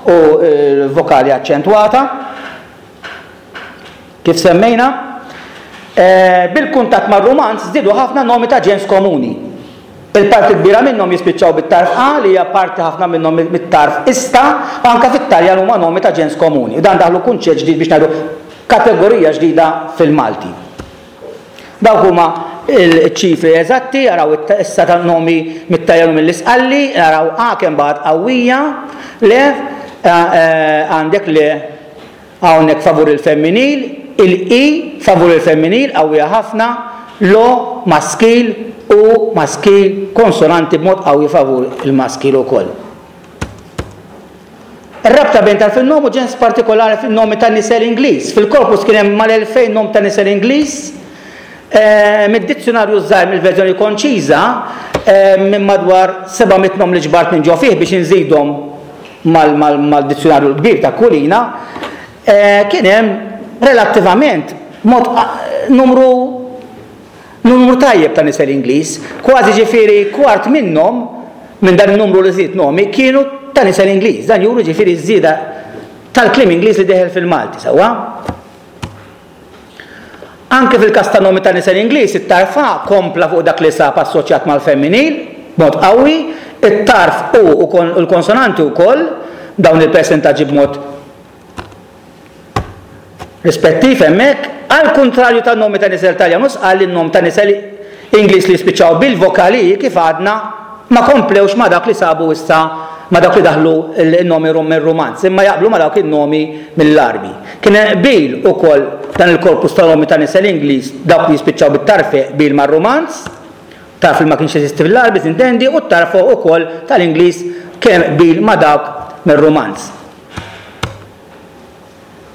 u l-vokali aċċentwata. Kif semmejna, bil-kuntatt mar-Rumanz żdiedu ħafna nomi ta' ġens komuni. Il-parti l-kbira minnhom jispiċċaw bit-tarf a li hija parti ħafna minnhom mit-tarf ista, u anke fit-Taljan huma nomi ta' ġens komuni. U dan daħlu kunċett ġdid biex ngħidu kategorija ġdida fil-Malti. Dawk huma ċ-ċifri eżatti, araw issa ta' nomi mit-Taljan u mill-Isqalli, araw a kemm baqgħet qawwija, le għandek le Hawnhekk favur il-femminil, il-i favur il-femminil qawwija ħafna, l-o maskil, u maskil, konsonanti b'mod qawwi favur il-maskil ukoll. Ir-rabta bejn tarf in-nom u ġens partikolari fin-nomi ta' nisel Ingliż. Fil-korpus kien hemm mal-2000 nom ta' nisel Ingliż. Mid-dizzjunarju ż-żgħir mill-verżjoni konċiża, Minn madwar 700 nom li ġbart minn ġo fih biex inżidhom mal-dizzjunarju l-kbir ta' Kulina, kien hemm relattivament mod numru numru tajjeb ta' nisel Ingliż, kważi ġifieri kwart minnhom minn dan in-numru li żied nomi kienu ta' nisel Ingliż. Dan juru ġifieri ż-żieda tal-kliem Ingliż li deħel fil-Malti, sewwa? Anke fil-każ ta' nomi ta' nisel Ingliż, it-tarf a kompla fuq dak li sab assoċjat mal-femminil b'mod qawwi, it-tarf u u l-konsonanti wkoll, dawn il-persentaġġi b'mod rispettiv hemmhekk. Għall-kuntrarju tan-nomi ta' nisel Taljan u Sqalli, n-nom ta' nisel Ingliż li jispiċċaw bil-vokali i kif għadna ma komplewx ma' dak li sabu issa ma' dawk li daħlu n-nomi mir-Rumanz, imma jaqblu ma' dawk in-nomi mill-Għarbi. Kien hemm qbil ukoll dan il-korpus ta' nomi ta' nisel Ingliż, dawk li jispiċċaw bit-tarf e qbil mar-Rumanz, tarf li ma kienx jeżisti fil-Għarbi sintendi, u t-tarf o ukoll tal-Ingliż kien hemm qbil ma' dawk mir-Rumanz.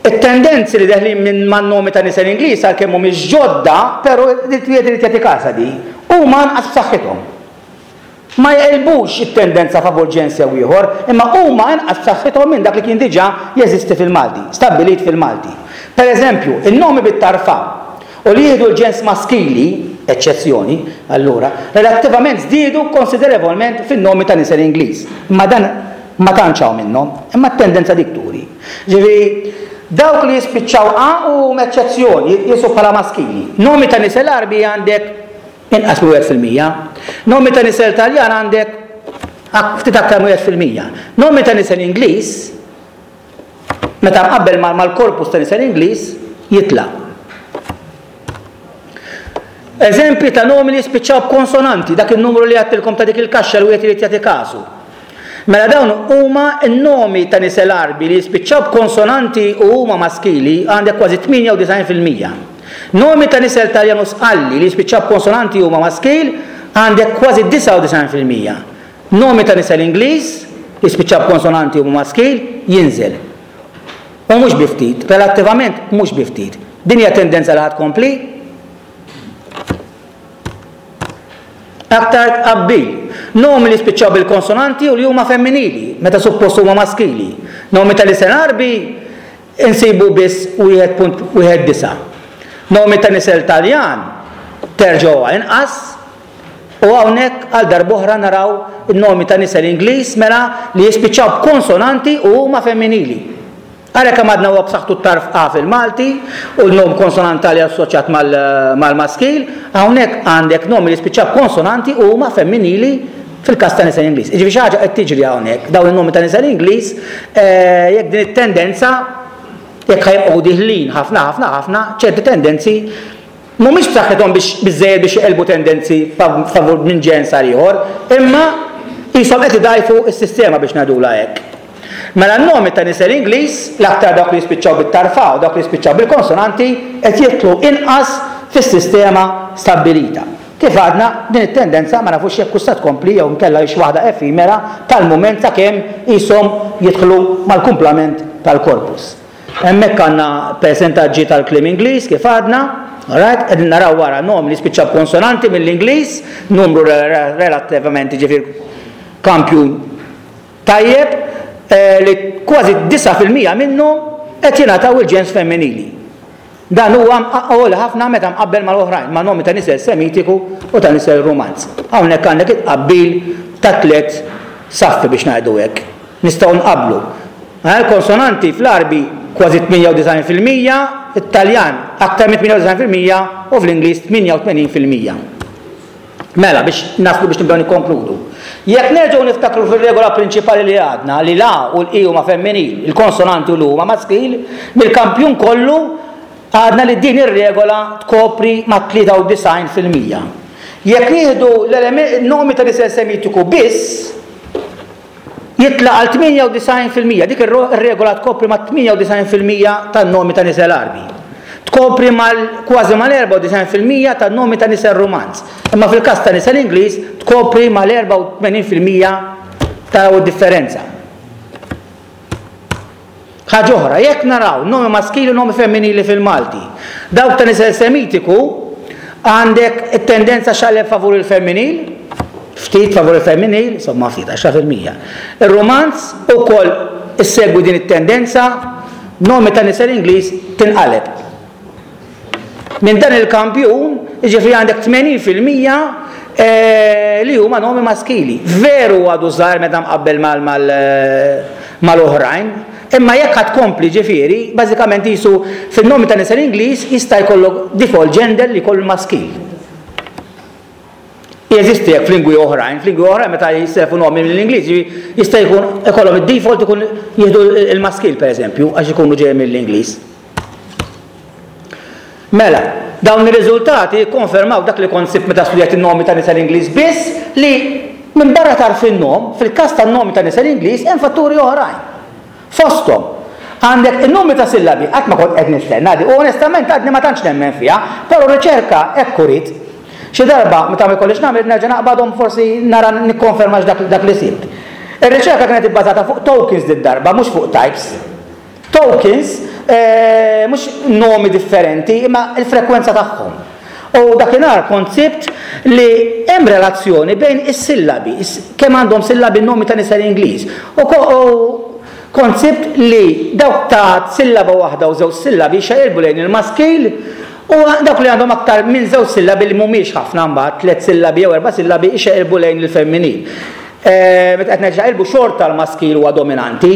It-tendenzi li deħlin minn man-nomi ta' nisel Ingliż għalkemm mhumiex ġodda, però wieħed irid jagħti kasha di, huma anqas b'saħħithom. Ma jeqilbux it-tendenza favur ġens jew ieħor, imma huma inqas b'saħħithom minn dak li kien diġà jeżisti fil-Malti, stabbilit fil-Malti. Per eżempju, in-nomi bit-tarf a u li jieħdu l-ġens maskili, eċċezzjoni, allura, relattivament żdiedu konsiderevolment fin-nomi ta' nisel Ingliż. Imma dan ma tantx hawn minnhom, imma t-tendenza dik turi. Ġifieri, dawk li jispiċċaw a u huma eċċezzjoni, jitqiesu bħala maskili. Nomi ta' nisel Għarbi għandek inqas minn 1%. Nomi ta' nisel Taljan għandek ftit aktar minn 1%. Nomi ta' nisel Ingliż, meta mqabbel mal-korpus ta' nisel Ingliż, jitla'. Eżempji ta' nomi li jispiċċaw b'konsonanti, dak in-numru li għedtilkom ta' dik il-kaxxa li wieħed irid jagħti kasu. Mela dawn huma n-nomi ta' nisel Għarbi li jispiċċaw b'konsonanti u huma maskili għandek kważi 98%. Nomi ta' nisel Taljan u Sqalli li jispiċċaw b'konsonanti u huma maskil għandek kważi 99%. Nomi ta' nisel Ingliż li jispiċċaw b'konsonanti u huma maskil jinżel. U mhux bi ftit, relattivament mhux bi ftit. Din hija tendenza li ħa tkompli? Aktar tqabbil. Nomi li spiċċaw bil-konsonanti u li huma femminili, meta suppost huma maskili. Nomi ta' nisel Għarbi insibu biss 1.19. Nomi ta' nisel Taljan terġgħu inqas u hawnhekk għal darb'oħra naraw in-nomi ta' nisel Ingliż mela li jispiċċaw b'konsonanti u huma femminili. Għalhekk kemm għadna huwa b'saħħtu t-tarf A fil-Malti u l-nom konsonantali assoċjat mal-maskil, hawnhekk għandek nomi li spiċċaw b'konsonanti u huma femminili fil-każ ta' nisel Ingliż. Jiġifieri xi ħaġa qed tiġri hawnhekk, dawn in-nomi ta' nisel Ingliż, jekk din it-tendenza jekk ħa jibqgħu diħlin ħafna ħafna ħafna, ċerti tendenzi mhumiex b'saħħithom biex biżżejjed biex jeqilbu tendenzi favur minn ġens għal ieħor, imma qishom qed idgħajfu s-sistema biex ngħidulha hekk. Mela n-nomi ta' nisel Ingliż, l-aktar dawk li jispiċċaw bit-tarfa u dawk li jispiċċaw bil-konsonanti, qed jidħlu inqas fis-sistema stabbilita. Kif għadna, din it-tendenza ma nafux jekk hux se tkompli jew inkella hix waħda effimera tal-mument sakemm qishom jidħlu mal-kumplament tal-korpus. Hemmhekk għandna persentaġġi tal-kliem Ingliż kif għadna, alright, qegħdin naraw wara nom li spiċċa b'konsonanti mill-Ingliż, numru relattivament jiġifieri kampjun tajjeb li kważi 9% minnhom qed jingħataw il-ġens femminili. Dan huwa għoli ħafna meta mqabbel mal-oħrajn, ma' nomi ta' nisel Semitiku u ta' nisel Rumanz. Hawnhekk għandek it-tqabbil ta' tliet saffi biex ngħidu hekk. Nistgħu nqabblu. Il-konsonanti fl-Għarbi kważi 98%, fit-Taljan aktar minn 98% u fl-Ingliż 88%. Mela, biex naslu biex nibdew nikkonkludu. Jekk nerġgħu niftakru fir-regola prinċipali li għadna li l-A u l-I huma femminil, il-konsonanti u l-U huma maskil, mill-kampjun kollu għadna li din ir-regola tkopri mat-93%. Jekk nieħdu l-nomi ta' nisel Semitiku biss, Jitla' għal 98%. Dik ir-regola tkopri mat-98% tan-nomi ta' nisel Għarbi. Tkopri mal kważi mal-94% tan-nomi ta' nisel Rumanz. Imma fil-każ ta' nisel Ingliż tkopri mal-84% taraw id-differenza. Ħaġa oħra, jekk naraw nomi maskili u nomi femminili fil-Malti, dawk ta' nisel Semitiku għandek it-tendenza xaqleb favur il-femminil. Ftit favur il-femminil, insomma ftit, 10%. Ir-Romanz ukoll issegwi din it-tendenza, nomi ta' nisel Ingliż tinqaleb. Minn dan il-kampjun, jiġifieri għandek 80% eh, li huma nomi maskili. Veru għadu żgħar meta mqabbel mal-oħrajn, imma jekk ħadd kompli ġifieri, bażikament jisu fin-nomi ta' nisel Ingliż jista' jkollok default gender li jkollu maskil. Jeżisti hekk f'lingwi oħrajn, f'lingwi oħrajn meta jisselfu nomi mill-Ingliż, jista' jkun ikollhom id-default ikun jieħdu l-maskil pereżempju għax ikunu ġej mill-Ingliż. Mela, dawn ir-riżultati jikkonfermaw dak li kont sibt meta studjajt in-nomi ta' nisel Ingliż biss li minbarra tagħrf in-nom, fil-każ tan-nomi ta' nisel Ingliż hemm fatturi oħrajn. Fosthom, għandek in-numri ta' sillabi, qatt ma kont qed nistenna di u onestament għadni ma tantx nemmen fiha, però r-riċerka hekk uriet. Xi darba, meta ma jkollix nagħmel, nerġa' naqbadhom forsi nara nikkonfermax dak, dak li sibt. Ir-riċerka kienet ibbażata fuq tokens did-darba, mhux fuq types. Tokens, eh, mhux nomi differenti, imma l-frekwenza tagħhom. U dakinhar kont sibt li hemm relazzjoni bejn is-sillabi, kemm għandhom sillabi n-nomi ta' nisel Ingliż. U kont sibt li dawk ta' sillaba waħda u żewġ sillabi jxaqilbu lejn il-maskil u dawk li għandhom aktar minn żewġ sillabi li mhumiex ħafna mbagħad, tliet sillabi jew erba' sillabi jxaqilbu lejn il-femminil. Meta qed ngħid xaqilbu xorta l-maskil huwa dominanti,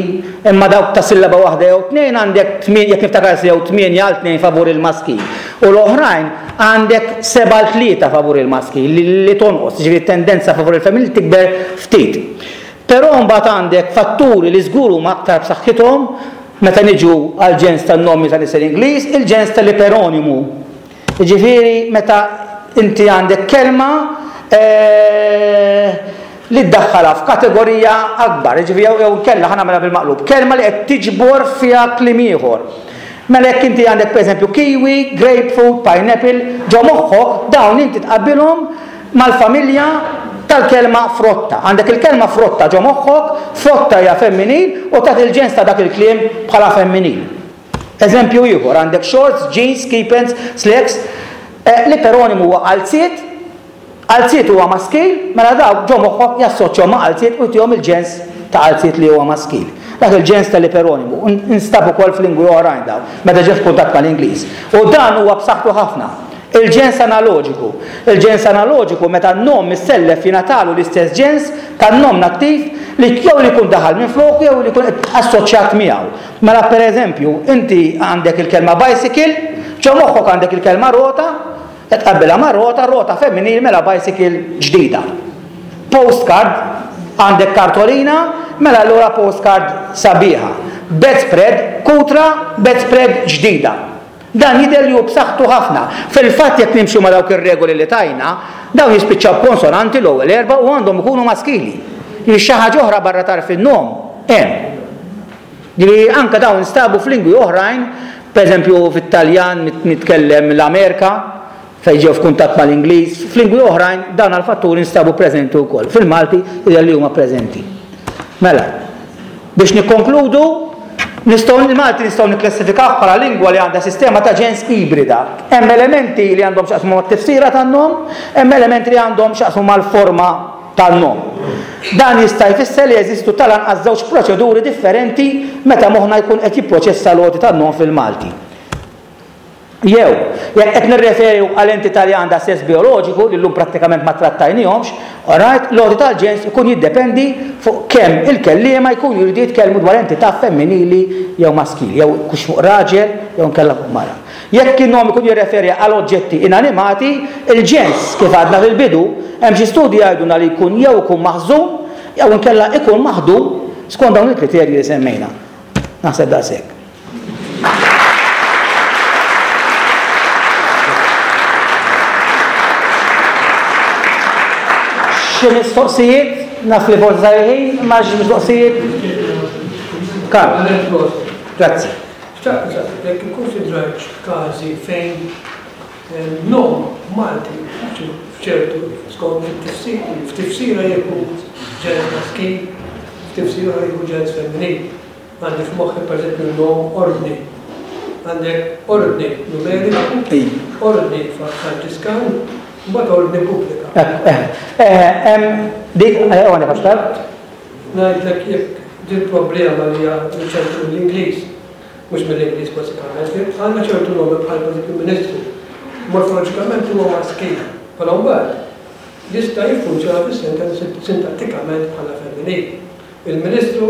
imma dawk ta' sillaba waħda jew tnejn għandek jekk niftakar sew tmienja għal tnejn favur il-maskil. U l-oħrajn għandek sebgħa għal tlieta favur il-maskil li tonqos, jiġifieri t-tendenza favur il-femminil tikber ftit. Però mbagħad għandek fatturi li żgur huma aktar b'saħħithom meta niġu għall-ġens tan-nomi ta' nisel Ingliż, il-ġens tal-iperonimu. Jiġifieri meta inti għandek kelma li ddaħħalha f'kategorija akbar, jiġifieri jew inkella ħa nagħmilha bil-maqlub, kelma li qed tiġbor fiha kliem ieħor. Mela jekk inti għandek pereżempju kiwi, grapefruit, pineapple, ġo moħħok dawn inti tqabbilhom mal-familja tal-kelma frotta. Għandek il-kelma frotta ġo moħħok, frotta hija femminil u tagħti l-ġens ta' dak il-kliem bħala femminil. Eżempju ieħor, għandek shorts, jeans, ski pants, slacks, l-iperonimu huwa qalziet, qalziet huwa maskil, mela dawk ġo moħħok jassoċjaw ma' qalziet u jtihom il-ġens ta' qalziet li huwa maskil. Dak il-ġens tal-iperonimu instab ukoll f'lingwi oħrajn dawn, meta ġie f'kuntatt mal-Ingliż. U dan huwa b'saħħtu ħafna. Il-ġens analoġiku. Il-ġens analoġiku meta n-nom missellef jingħatalu l-istess ġens tan-nom nattiv li jew li jkun daħal minfloku jew li jkun assoċjat miegħu. Mela per eżempju, inti għandek il-kelma bicycle, ġo moħħok għandek il-kelma rota, qed tqabbilha ma' rota, rota femminil mela bicycle ġdida. Postcard, għandek kartolina, mela allura postcard sabiħa. Bedspread, kutra, bedspread ġdida. Dan jidher li hu b'saħħtu ħafna. Fil-fatt jekk nimxu ma' dawk ir-regoli li tajna, dawn jispiċċaw b'konsonanti l-ewwel erbgħa u għandhom ikunu maskili. Jiġifieri xi ħaġa oħra barra tarf in-nom hemm. Jiġifieri anke dawn instabu f'lingwi oħrajn, pereżempju fit-Taljan mitkellem l-Amerika, fejn ġew f'kuntatt mal-Ingliż, f'lingwi oħrajn dawn għall-fatturi nstabu preżenti wkoll. Fil-Malti jidher li huma preżenti. Mela, biex nikkonkludu, nistgħu il-Malti nistgħu nikklassifikawh bħala lingwa li għandha sistema ta' ġens ibrida. Hemm elementi li għandhom x'jaqsmu mat-tifsira tan-nom, hemm elementi li għandhom x'jaqsmu mal-forma tan-nom. Dan jista' jfisser li jeżistu tal-anqas żewġ proċeduri differenti meta moħħna jkun qed jipproċessa l-għoti tan-nom fil-Malti. Jew, jekk qed nirreferu għal entità li għandha sess bijoloġiku, li llum prattikament ma trattajnihomx, alright, l-għoti tal-ġens ikun jiddependi fuq kemm il-kelliema jkunu jridu jitkellmu dwar entità femminili jew maskili, jew hux fuq raġel jew inkella fuq mara. Jekk in-nom ikun jirreferi għal oġġetti inanimati, il-ġens, kif għadna fil-bidu, hemm xi studji jgħidulna li jkun jew ikun maħżun jew inkella ikun maħdum skont dawn il-kriterji li semmejna. Naħseb daqshekk. Xi mistoqsijiet? Naf li forsi sar il-ħin, imma xi mistoqsijiet? Karl. Grazzi. Xtaqt nsaqsik jekk ikkunsidrajtx każi fejn nom Malti f'ċertu skont it-tifsir, f'tifsira jieħu ġens maskil, f'tifsira oħra jieħu ġens femminil. Għandi f'moħħi pereżempju n-nom ordni. Għandek ordni numeriku, ordni Franġiskan. Mbagħad ordni pubblika. Hemm dik għandek għax tard? Ngħidlek jekk din problema li hija ċertu mill-Ingliż, mhux mill-Ingliż bażikament, għandna ċertu nomi bħal pereżempju ministru, morfoloġikament huwa maskil, però mbagħad jista' jiffunzjona fis-sentenza sintattikament bħala femminil. Il-Ministru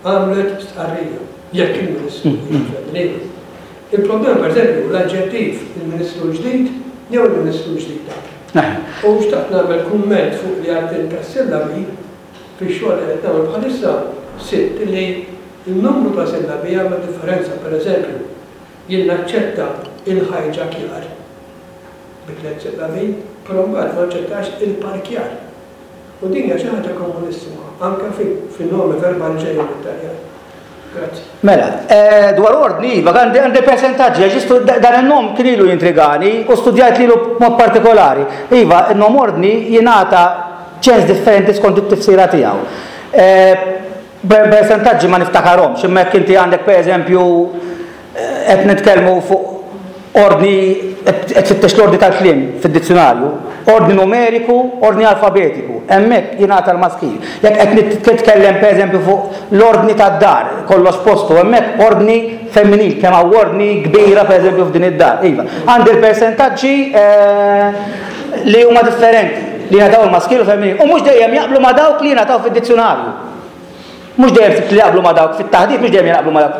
għamlet stqarrija, jekk il-Ministru hija femminili. Il-problema pereżempju hu l-aġġettiv il-Ministru l-ġdid jew il-Ministru l-ġdida. U xtaqt nagħmel kumment fuq li għedt int tas-sillabi, fix-xogħol li qed nagħmel bħalissa sibt li n-numru ta' sillabi jagħmel differenza, pereżempju, jien naċċetta il-ħajġakjar bi tlett sillabi, però mbagħad ma naċċettax il-parkjar. U din hija xi ħaġa komunissima anke fin-nomi verbali ġejjin mit-Taljan. Grazzi. Mela, dwar ordni, iva, għandi persentaġġi, għax dan in-nom kien ilu jintrigani u studjajt lilu b'mod partikolari. Iva, in-nom ordni jingħata ċens differenti skont it-tifsira tiegħu. Persentaġġi ma niftakarhomx, imma jekk inti għandek pereżempju Qed nitkellmu fuq ordni, qed tfittex l-ordni tal-kliem fid-dizzjunarju, ordni numeriku, ordni alfabetiku, hemmhekk jingħata l-maskil. Jekk qed titkellem pereżempju fuq l-ordni tad-dar, kollox postu, hemmhekk ordni femminil, kemm hawn ordni kbira pereżempju f'din id-dar. Iva. Għandi l-persentaġġi li huma differenti, li jingħataw il-maskil u femminil, u mhux dejjem jaqblu ma' dawk li jingħataw fid-dizzjunarju. Mhux dejjem sibt li jaqblu ma' dawk fit-taħdit, mhux dejjem jaqblu ma' dawk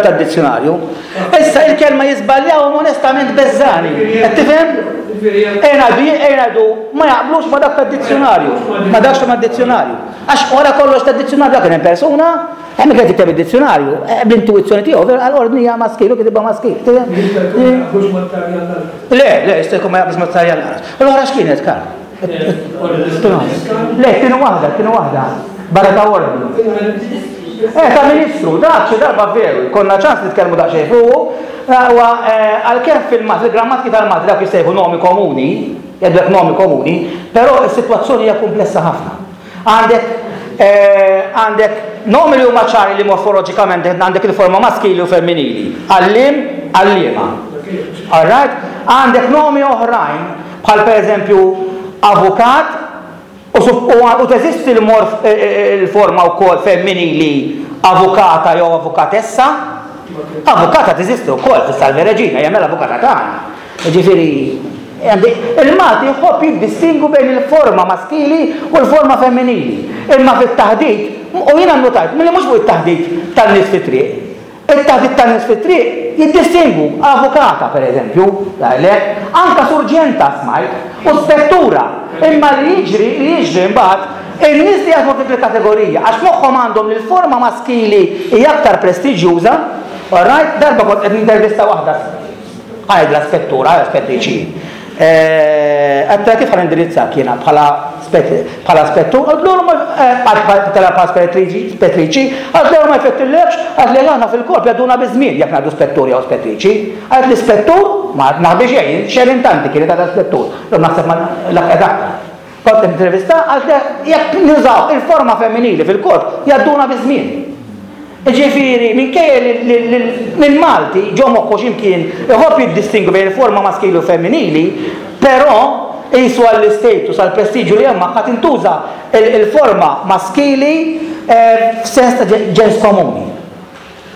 tad-dizzjunarju. Issa il-kelma jiżbaljawhom onestament beżżani. Qed tifhem? Ejja ngħidu, ejja ngħidu ma jaqblux ma' dak tad-dizzjunarju, ma' dak mad-dizzjunarju. Għax wara kollox tad-dizzjunarju dak kien hemm persuna, hemm kien jikteb id-dizzjunarju, eh, bl-intuizzjoni tiegħu, vera għal-ordni hija maskil u kitibha maskil. Le, le, jista' jkun ma jaqblux mat-Taljan lanqas. U l-oħra x'kienet, Karl? Le, kienu waħda, kienu waħda. Barra ta' ordni. Eh, ta' ministru, dak xi darba veru, konna ċans nitkellmu daqsxejn fuqu, huwa eh, għalkemm fil-Malti, fil-grammatiki tal-Malti dawk jissejħu nomi komuni, jgħidulek nomi komuni, però s-sitwazzjoni hija komplessa ħafna. Għandek eh, għandek nomi li huma ċari li morfoloġikament għandek il-forma maskili u femminili. Għallim, għalliema. All right? Għandek nomi oħrajn Bħal pereżempju avukat u teżisti l-forma wkoll femminili avukata jew avukatessa. Avukata teżisti wkoll fis-Salve Regina, hija mela avukata tagħna. Jiġifieri il-Malti jħobb jiddistingwu bejn il-forma maskili u l-forma femminili. Imma fit-taħdit, u jiena nnotajt milli mhux fuq it-taħdit tan-nies fit-triq, It-taħdit tan-nies fit-triq jiddistingwu avukata, per eżempju, jgħidlek, anke surġenta smajt, u spettura. Imma li jiġri, li jiġri mbagħad, in-nies li jaħdmu f'dik il-kategorija, għax f'moħħhom għandhom li l-forma maskili hija aktar prestiġjuża, all right, darba kont qed nintervista waħda, għidla spettura, spettriċi. Għedtilha kif ħa nindirizzak jiena bħala bħala spettur, qaltlu ma bħala spettriċi, spettriċi, qaltli ma jfettillekx, qaltli aħna fil-korp jgħadduna biż-żmien jekk ngħidu spettur jew spettriċi. Qaltli spettur, ma naħbi xejn, Sharon Tanti kienet għadha spettur, illum naħseb ma laħqet aktar. Kont intervista, qaltli jekk nużaw il-forma femminili fil-korp jgħadduna biż-żmien. Jiġifieri, minkejja li l-Malti ġo moħħu xi mkien iħobb jiddistingwi bejn il-forma maskili u femminili, però qisu għall-istatus, għall-prestiġju li hemm magħha tintuża l-forma maskili f'sens ta' ġens komuni.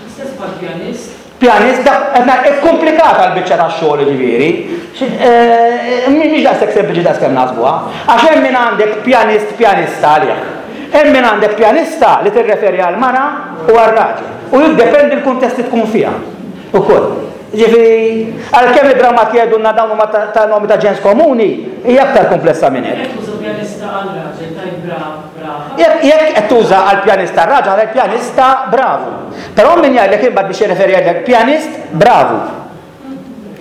L-istess bħall-pjanist. Pjanist, dak qed ngħid ikkumplikata l-biċċa tax-xogħol jiġifieri. Mhix daqshekk sempliċi daqs kemm naħsbuha. Għax hemm min għandek pjanist pjanista għalih. Hemm min għandek pjanista li tirreferi għal mara u għal raġel. U jiddependi l-kuntest li tkun fiha ukoll. Jiġifieri, għalkemm id-drammati jgħidulna dawn huma ta' nomi ta' ġens komuni, hija aktar kumplessa minn hekk. Jekk tuża pjanista għal raġel tgħid brav, brava. Jekk qed tuża għal pjanista raġel għal pjanista bravu. Però min jgħidlek imbagħad biex jirreferi jgħidlek pjanist bravu.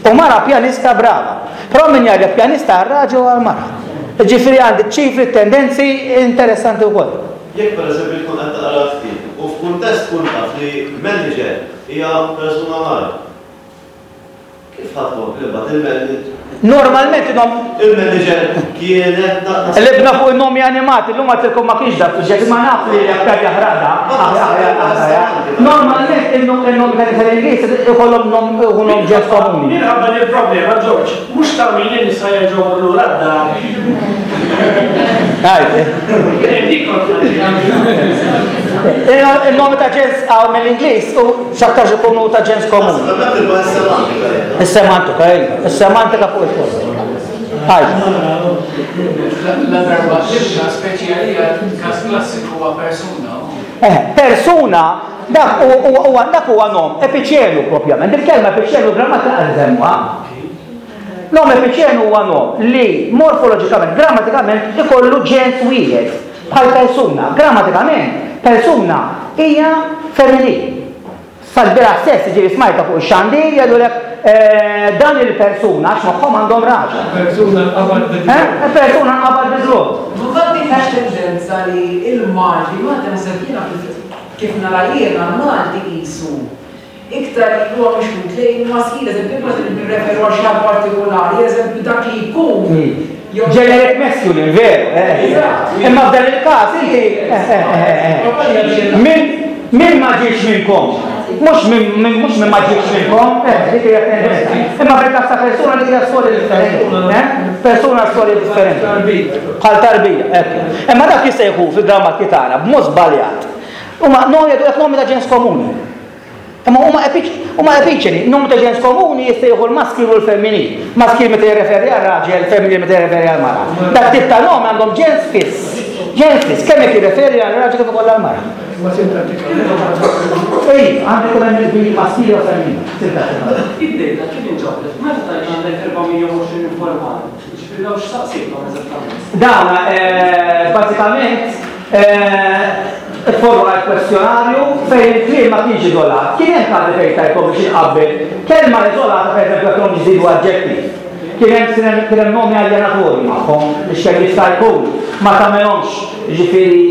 U mara pjanista brava. Però min jgħidlek pjanista għal raġel u għal mara. Ġifieri għandi ċifri, tendenzi interessanti wkoll. Jekk pereżempju tkun qed taqra ktieb u f'kuntest tkun taf li manager hija persuna mara. Kif ħa tkompli mbagħad il-manager? Normalment inhom. Il-manager kienet naqra. Qlibna fuq in-nomi animati, llum għedtilkom ma kienx dak suġġett imma naf li aktar jaħraq da. Normalment in-nomi ta' nisa l-Ingliż ikollhom nom ikollhom ġens komuni. Minħabba li l-problema, George, mhux ta' min in-nisa jerġgħu jmorru lura d-dar. Il-nomi ta' ġens hawn mill-Ingliż u x'aktarx ikunu ta' ġens komuni. Is-semantika, iva. Is-semantika fuq il-post. La darba tibda speċi għalija każ klassiku huwa persuna. Eh, persuna dak huwa dak huwa nom epiċenu propjament. Il-kelma epiċenu grammatika qed nsemmuha. Nom epiċenu huwa nom li morfoloġikament, grammatikament ikollu ġens wieħed bħal persuna. Grammatikament, persuna hija femminil. Sal-bieraħ stess, jiġifieri smajtha fuq ix-xandir jgħidulek dan il-persuna għax moħħhom għandhom raġel. Persuna nqabad bi dlott. Eh, persuna nqabad bi dlott. Ma m'għandekx tendenza li l-Malti, Malti naħseb jiena kif nara jiena l-Malti qisu iktar huwa mixħut lejn il-maskil, eżempju jekk meta nirreferu għal xi ħadd partikolari, eżempju dak li jkun jew. Generic masculine, veru, eh. Eżatt. Imma f'dan il-każ inti, eh, eh, eh, eh. Min, min ma ġiex minnkom? Mhux min, min, mhux min ma ġiex minnkom, eh, dik hija tendenza. Imma fil-każ ta' persuna dik hija storja differenti, eh? Persuna storja differenti. Bħal tarbija, hekk. Imma dak jissejħu fil-grammatki tagħna b'mod żbaljat. Huma no jgħidu nomi ta' ġens komuni. Imma huma huma epiċeni, numru ta' ġens komuni jissejħu l-maskil u l-femminil. Maskil meta jirreferi għal raġel, femminil meta jirreferi għal mara. Dak tip ta' nom għandhom ġens fiss. Ġens fiss, kemm jekk jirreferi għal raġel kif ukoll għal mara. Imma sintattikament. Ej, għandu jkun hemm il-bil maskil jew femminil, sintattikament. Id-data kif inġabret? Meta tgħid għandek 420 informant, jiġifieri dawn x'saqsejthom eżattament? Dawn bażikament Ifformulajt kwestjonarju fejn il-kliem ma kienx iżolat. Kien hemm każi fejn tajthom biex inqabbel kelma iżolata pereżempju jekk kellhom jiżdiedu aġġettiv. Kien hemm kien hemm nomi aljenatorji magħhom biex kemm jista' jkun ma tagħmilhomx jiġifieri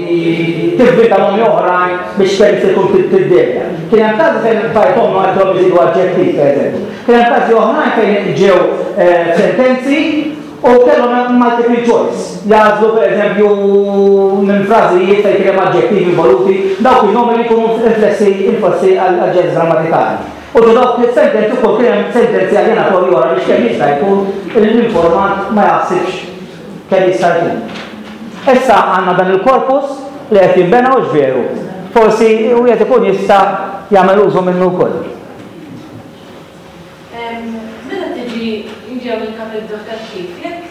tivvinta nomi oħrajn biex kemm jista' jkun tiddevja. Kien hemm każi fejn tajthom jekk kellhom jiżdiedu aġġettiv pereżempju. Kien hemm każi oħrajn fejn ġew sentenzi U kellhom multiple choice, jagħżlu pereżempju minn frażijiet fejn kien hemm aġġettivi involuti, dawk in-nomi li jkunu inflessi inflessi għall-ġens grammatikali. U ġo dawk is-sentenzi wkoll kien hemm sentenzi aljenatorji oħra biex kemm jista' jkun l-informant ma jaħsibx kemm jista' jkun. Issa għandna dan il-korpus li qed jinbena hux veru? Forsi wieħed ikun jista' jagħmel użu minnu wkoll. Meta tiġi niġi hawn il-kapitlu edukattiv, jekk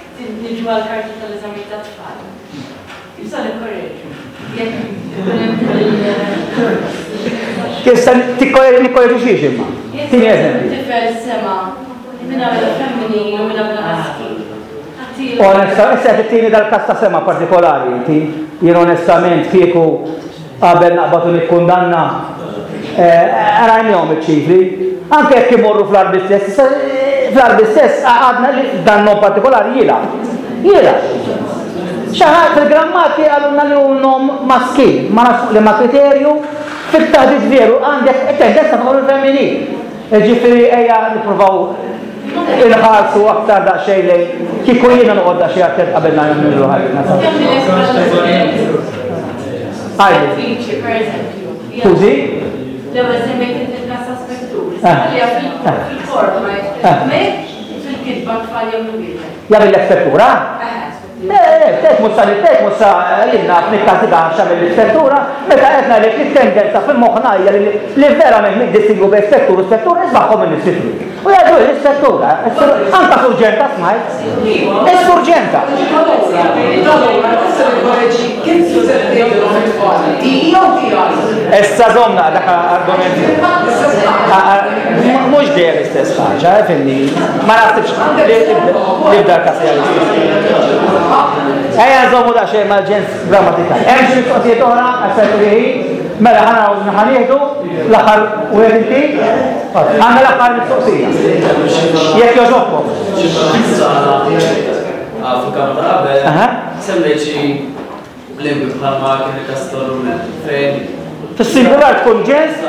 niġu għall-karta tal-eżamijiet tat-tfal, kif se nikkoreġu? Jekk ikun hemm fil- Kif se nikkoreġu xiex imma? Tini eżempju. Jekk tifel sema' min għamilha femminil u min għamilha maskil. Onesta, issa qed ittini dal-każ ta' sema' partikolari inti, jien onestament kieku Qabel naqbad u nikkundanna, rajnihom iċ-ċifri. Anke jekk imorru fl-Għarbi stess, fl-Għarbi stess għadna li dan nom partikolari jilgħab. Jilgħab. Xi ħadd fil-grammati qalulna li hu nom maskil, ma nafx fuq liema kriterju, fit-taħdit veru għandek tendenza favur il-femminil. Jiġifieri ejja nippruvaw inħarsu aktar daqsxejn lejn kieku jiena noqgħod daqsxejn attent qabel nagħmlu ħajjitna. Għajdu. Per eżempju. Skużi? L-ewwel semmejt inti il-każ ta' spettur. Għalija fil-forma fil-kitba tfal jagħmlu wieħed. Jagħmel l-ispettura? Tek mhux sa tek mhux sa jien naf nikkastiga għax għamel l-ispettura, meta qed ngħidlek li t-tendenza fil-moħħna hija li verament niddistingwu bejn spettur u spettur ismagħhom in-nies fit-triq. U jgħidu l-ispettura, anka surġenta smajt. Is-surġenta. Issa żomna dak argument. Mhux dejjem l-istess ħaġa, eh, fimni. Ma naħsibx li f'dal każ hija l-istess. Ejja nżommu daqsxejn mal-ġens grammatikali. Hemm xi mistoqsijiet oħra għas ħin? Mela ħana ħanieħdu l-aħħar wieħed inti? Għandna l-aħħar mistoqsija. Jekk jogħġobkom. Fil-kamra ta' qabel, semmejt xi lingwi bħalma kien il-każ tar-Rumen fejn. Fis-singular tkun ġens.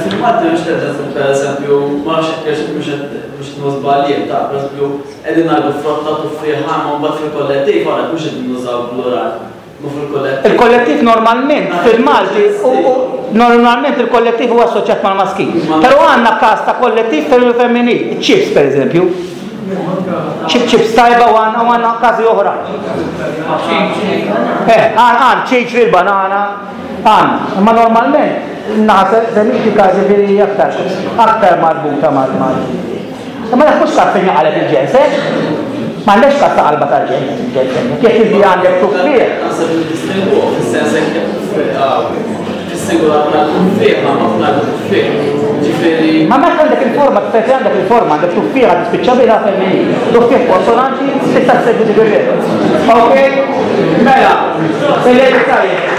Fil-Malti mhux qed pereżempju, ma nafx hekk mhux qed mhux żbaljien ta' pereżempju qegħdin ngħidu frotta tuffieħa imma mbagħad fil-kollettiv għalhekk mhux qegħdin nużaw plural. Ma fil-kollettiv. Il-kollettiv normalment fil-Malti normalment il-kollettiv huwa assoċjat mal-maskil. Però għandna każ ta' kollettiv femminil, iċ-ċips pereżempju. Ċip ċips tajba u għandna u għandna każi oħra. Eh, għan għan ċiċri l-banana, għan. Imma normalment naħa semitika ġifieri aktar aktar marbuta mal-mal. Imma dak mhux każ fejn jaqaleb il-ġens, eh? M'għandekx każ ta' qalba tal-ġens, ġens hemmhekk. Jekk inti għandek tuffieħ. Naħseb li distinguh fis-sens hekk fis-singular tal-tuffieħa ma fl tuffieħ. Ġifieri. Ma meta għandek il-forma, tfetri għandek il-forma, għandek tuffieħa tispiċċa biha femminil. Tuffieħ konsonanti tista' ssegwi dik ir-regola. Ok? Mela, il-lejl tajjeb.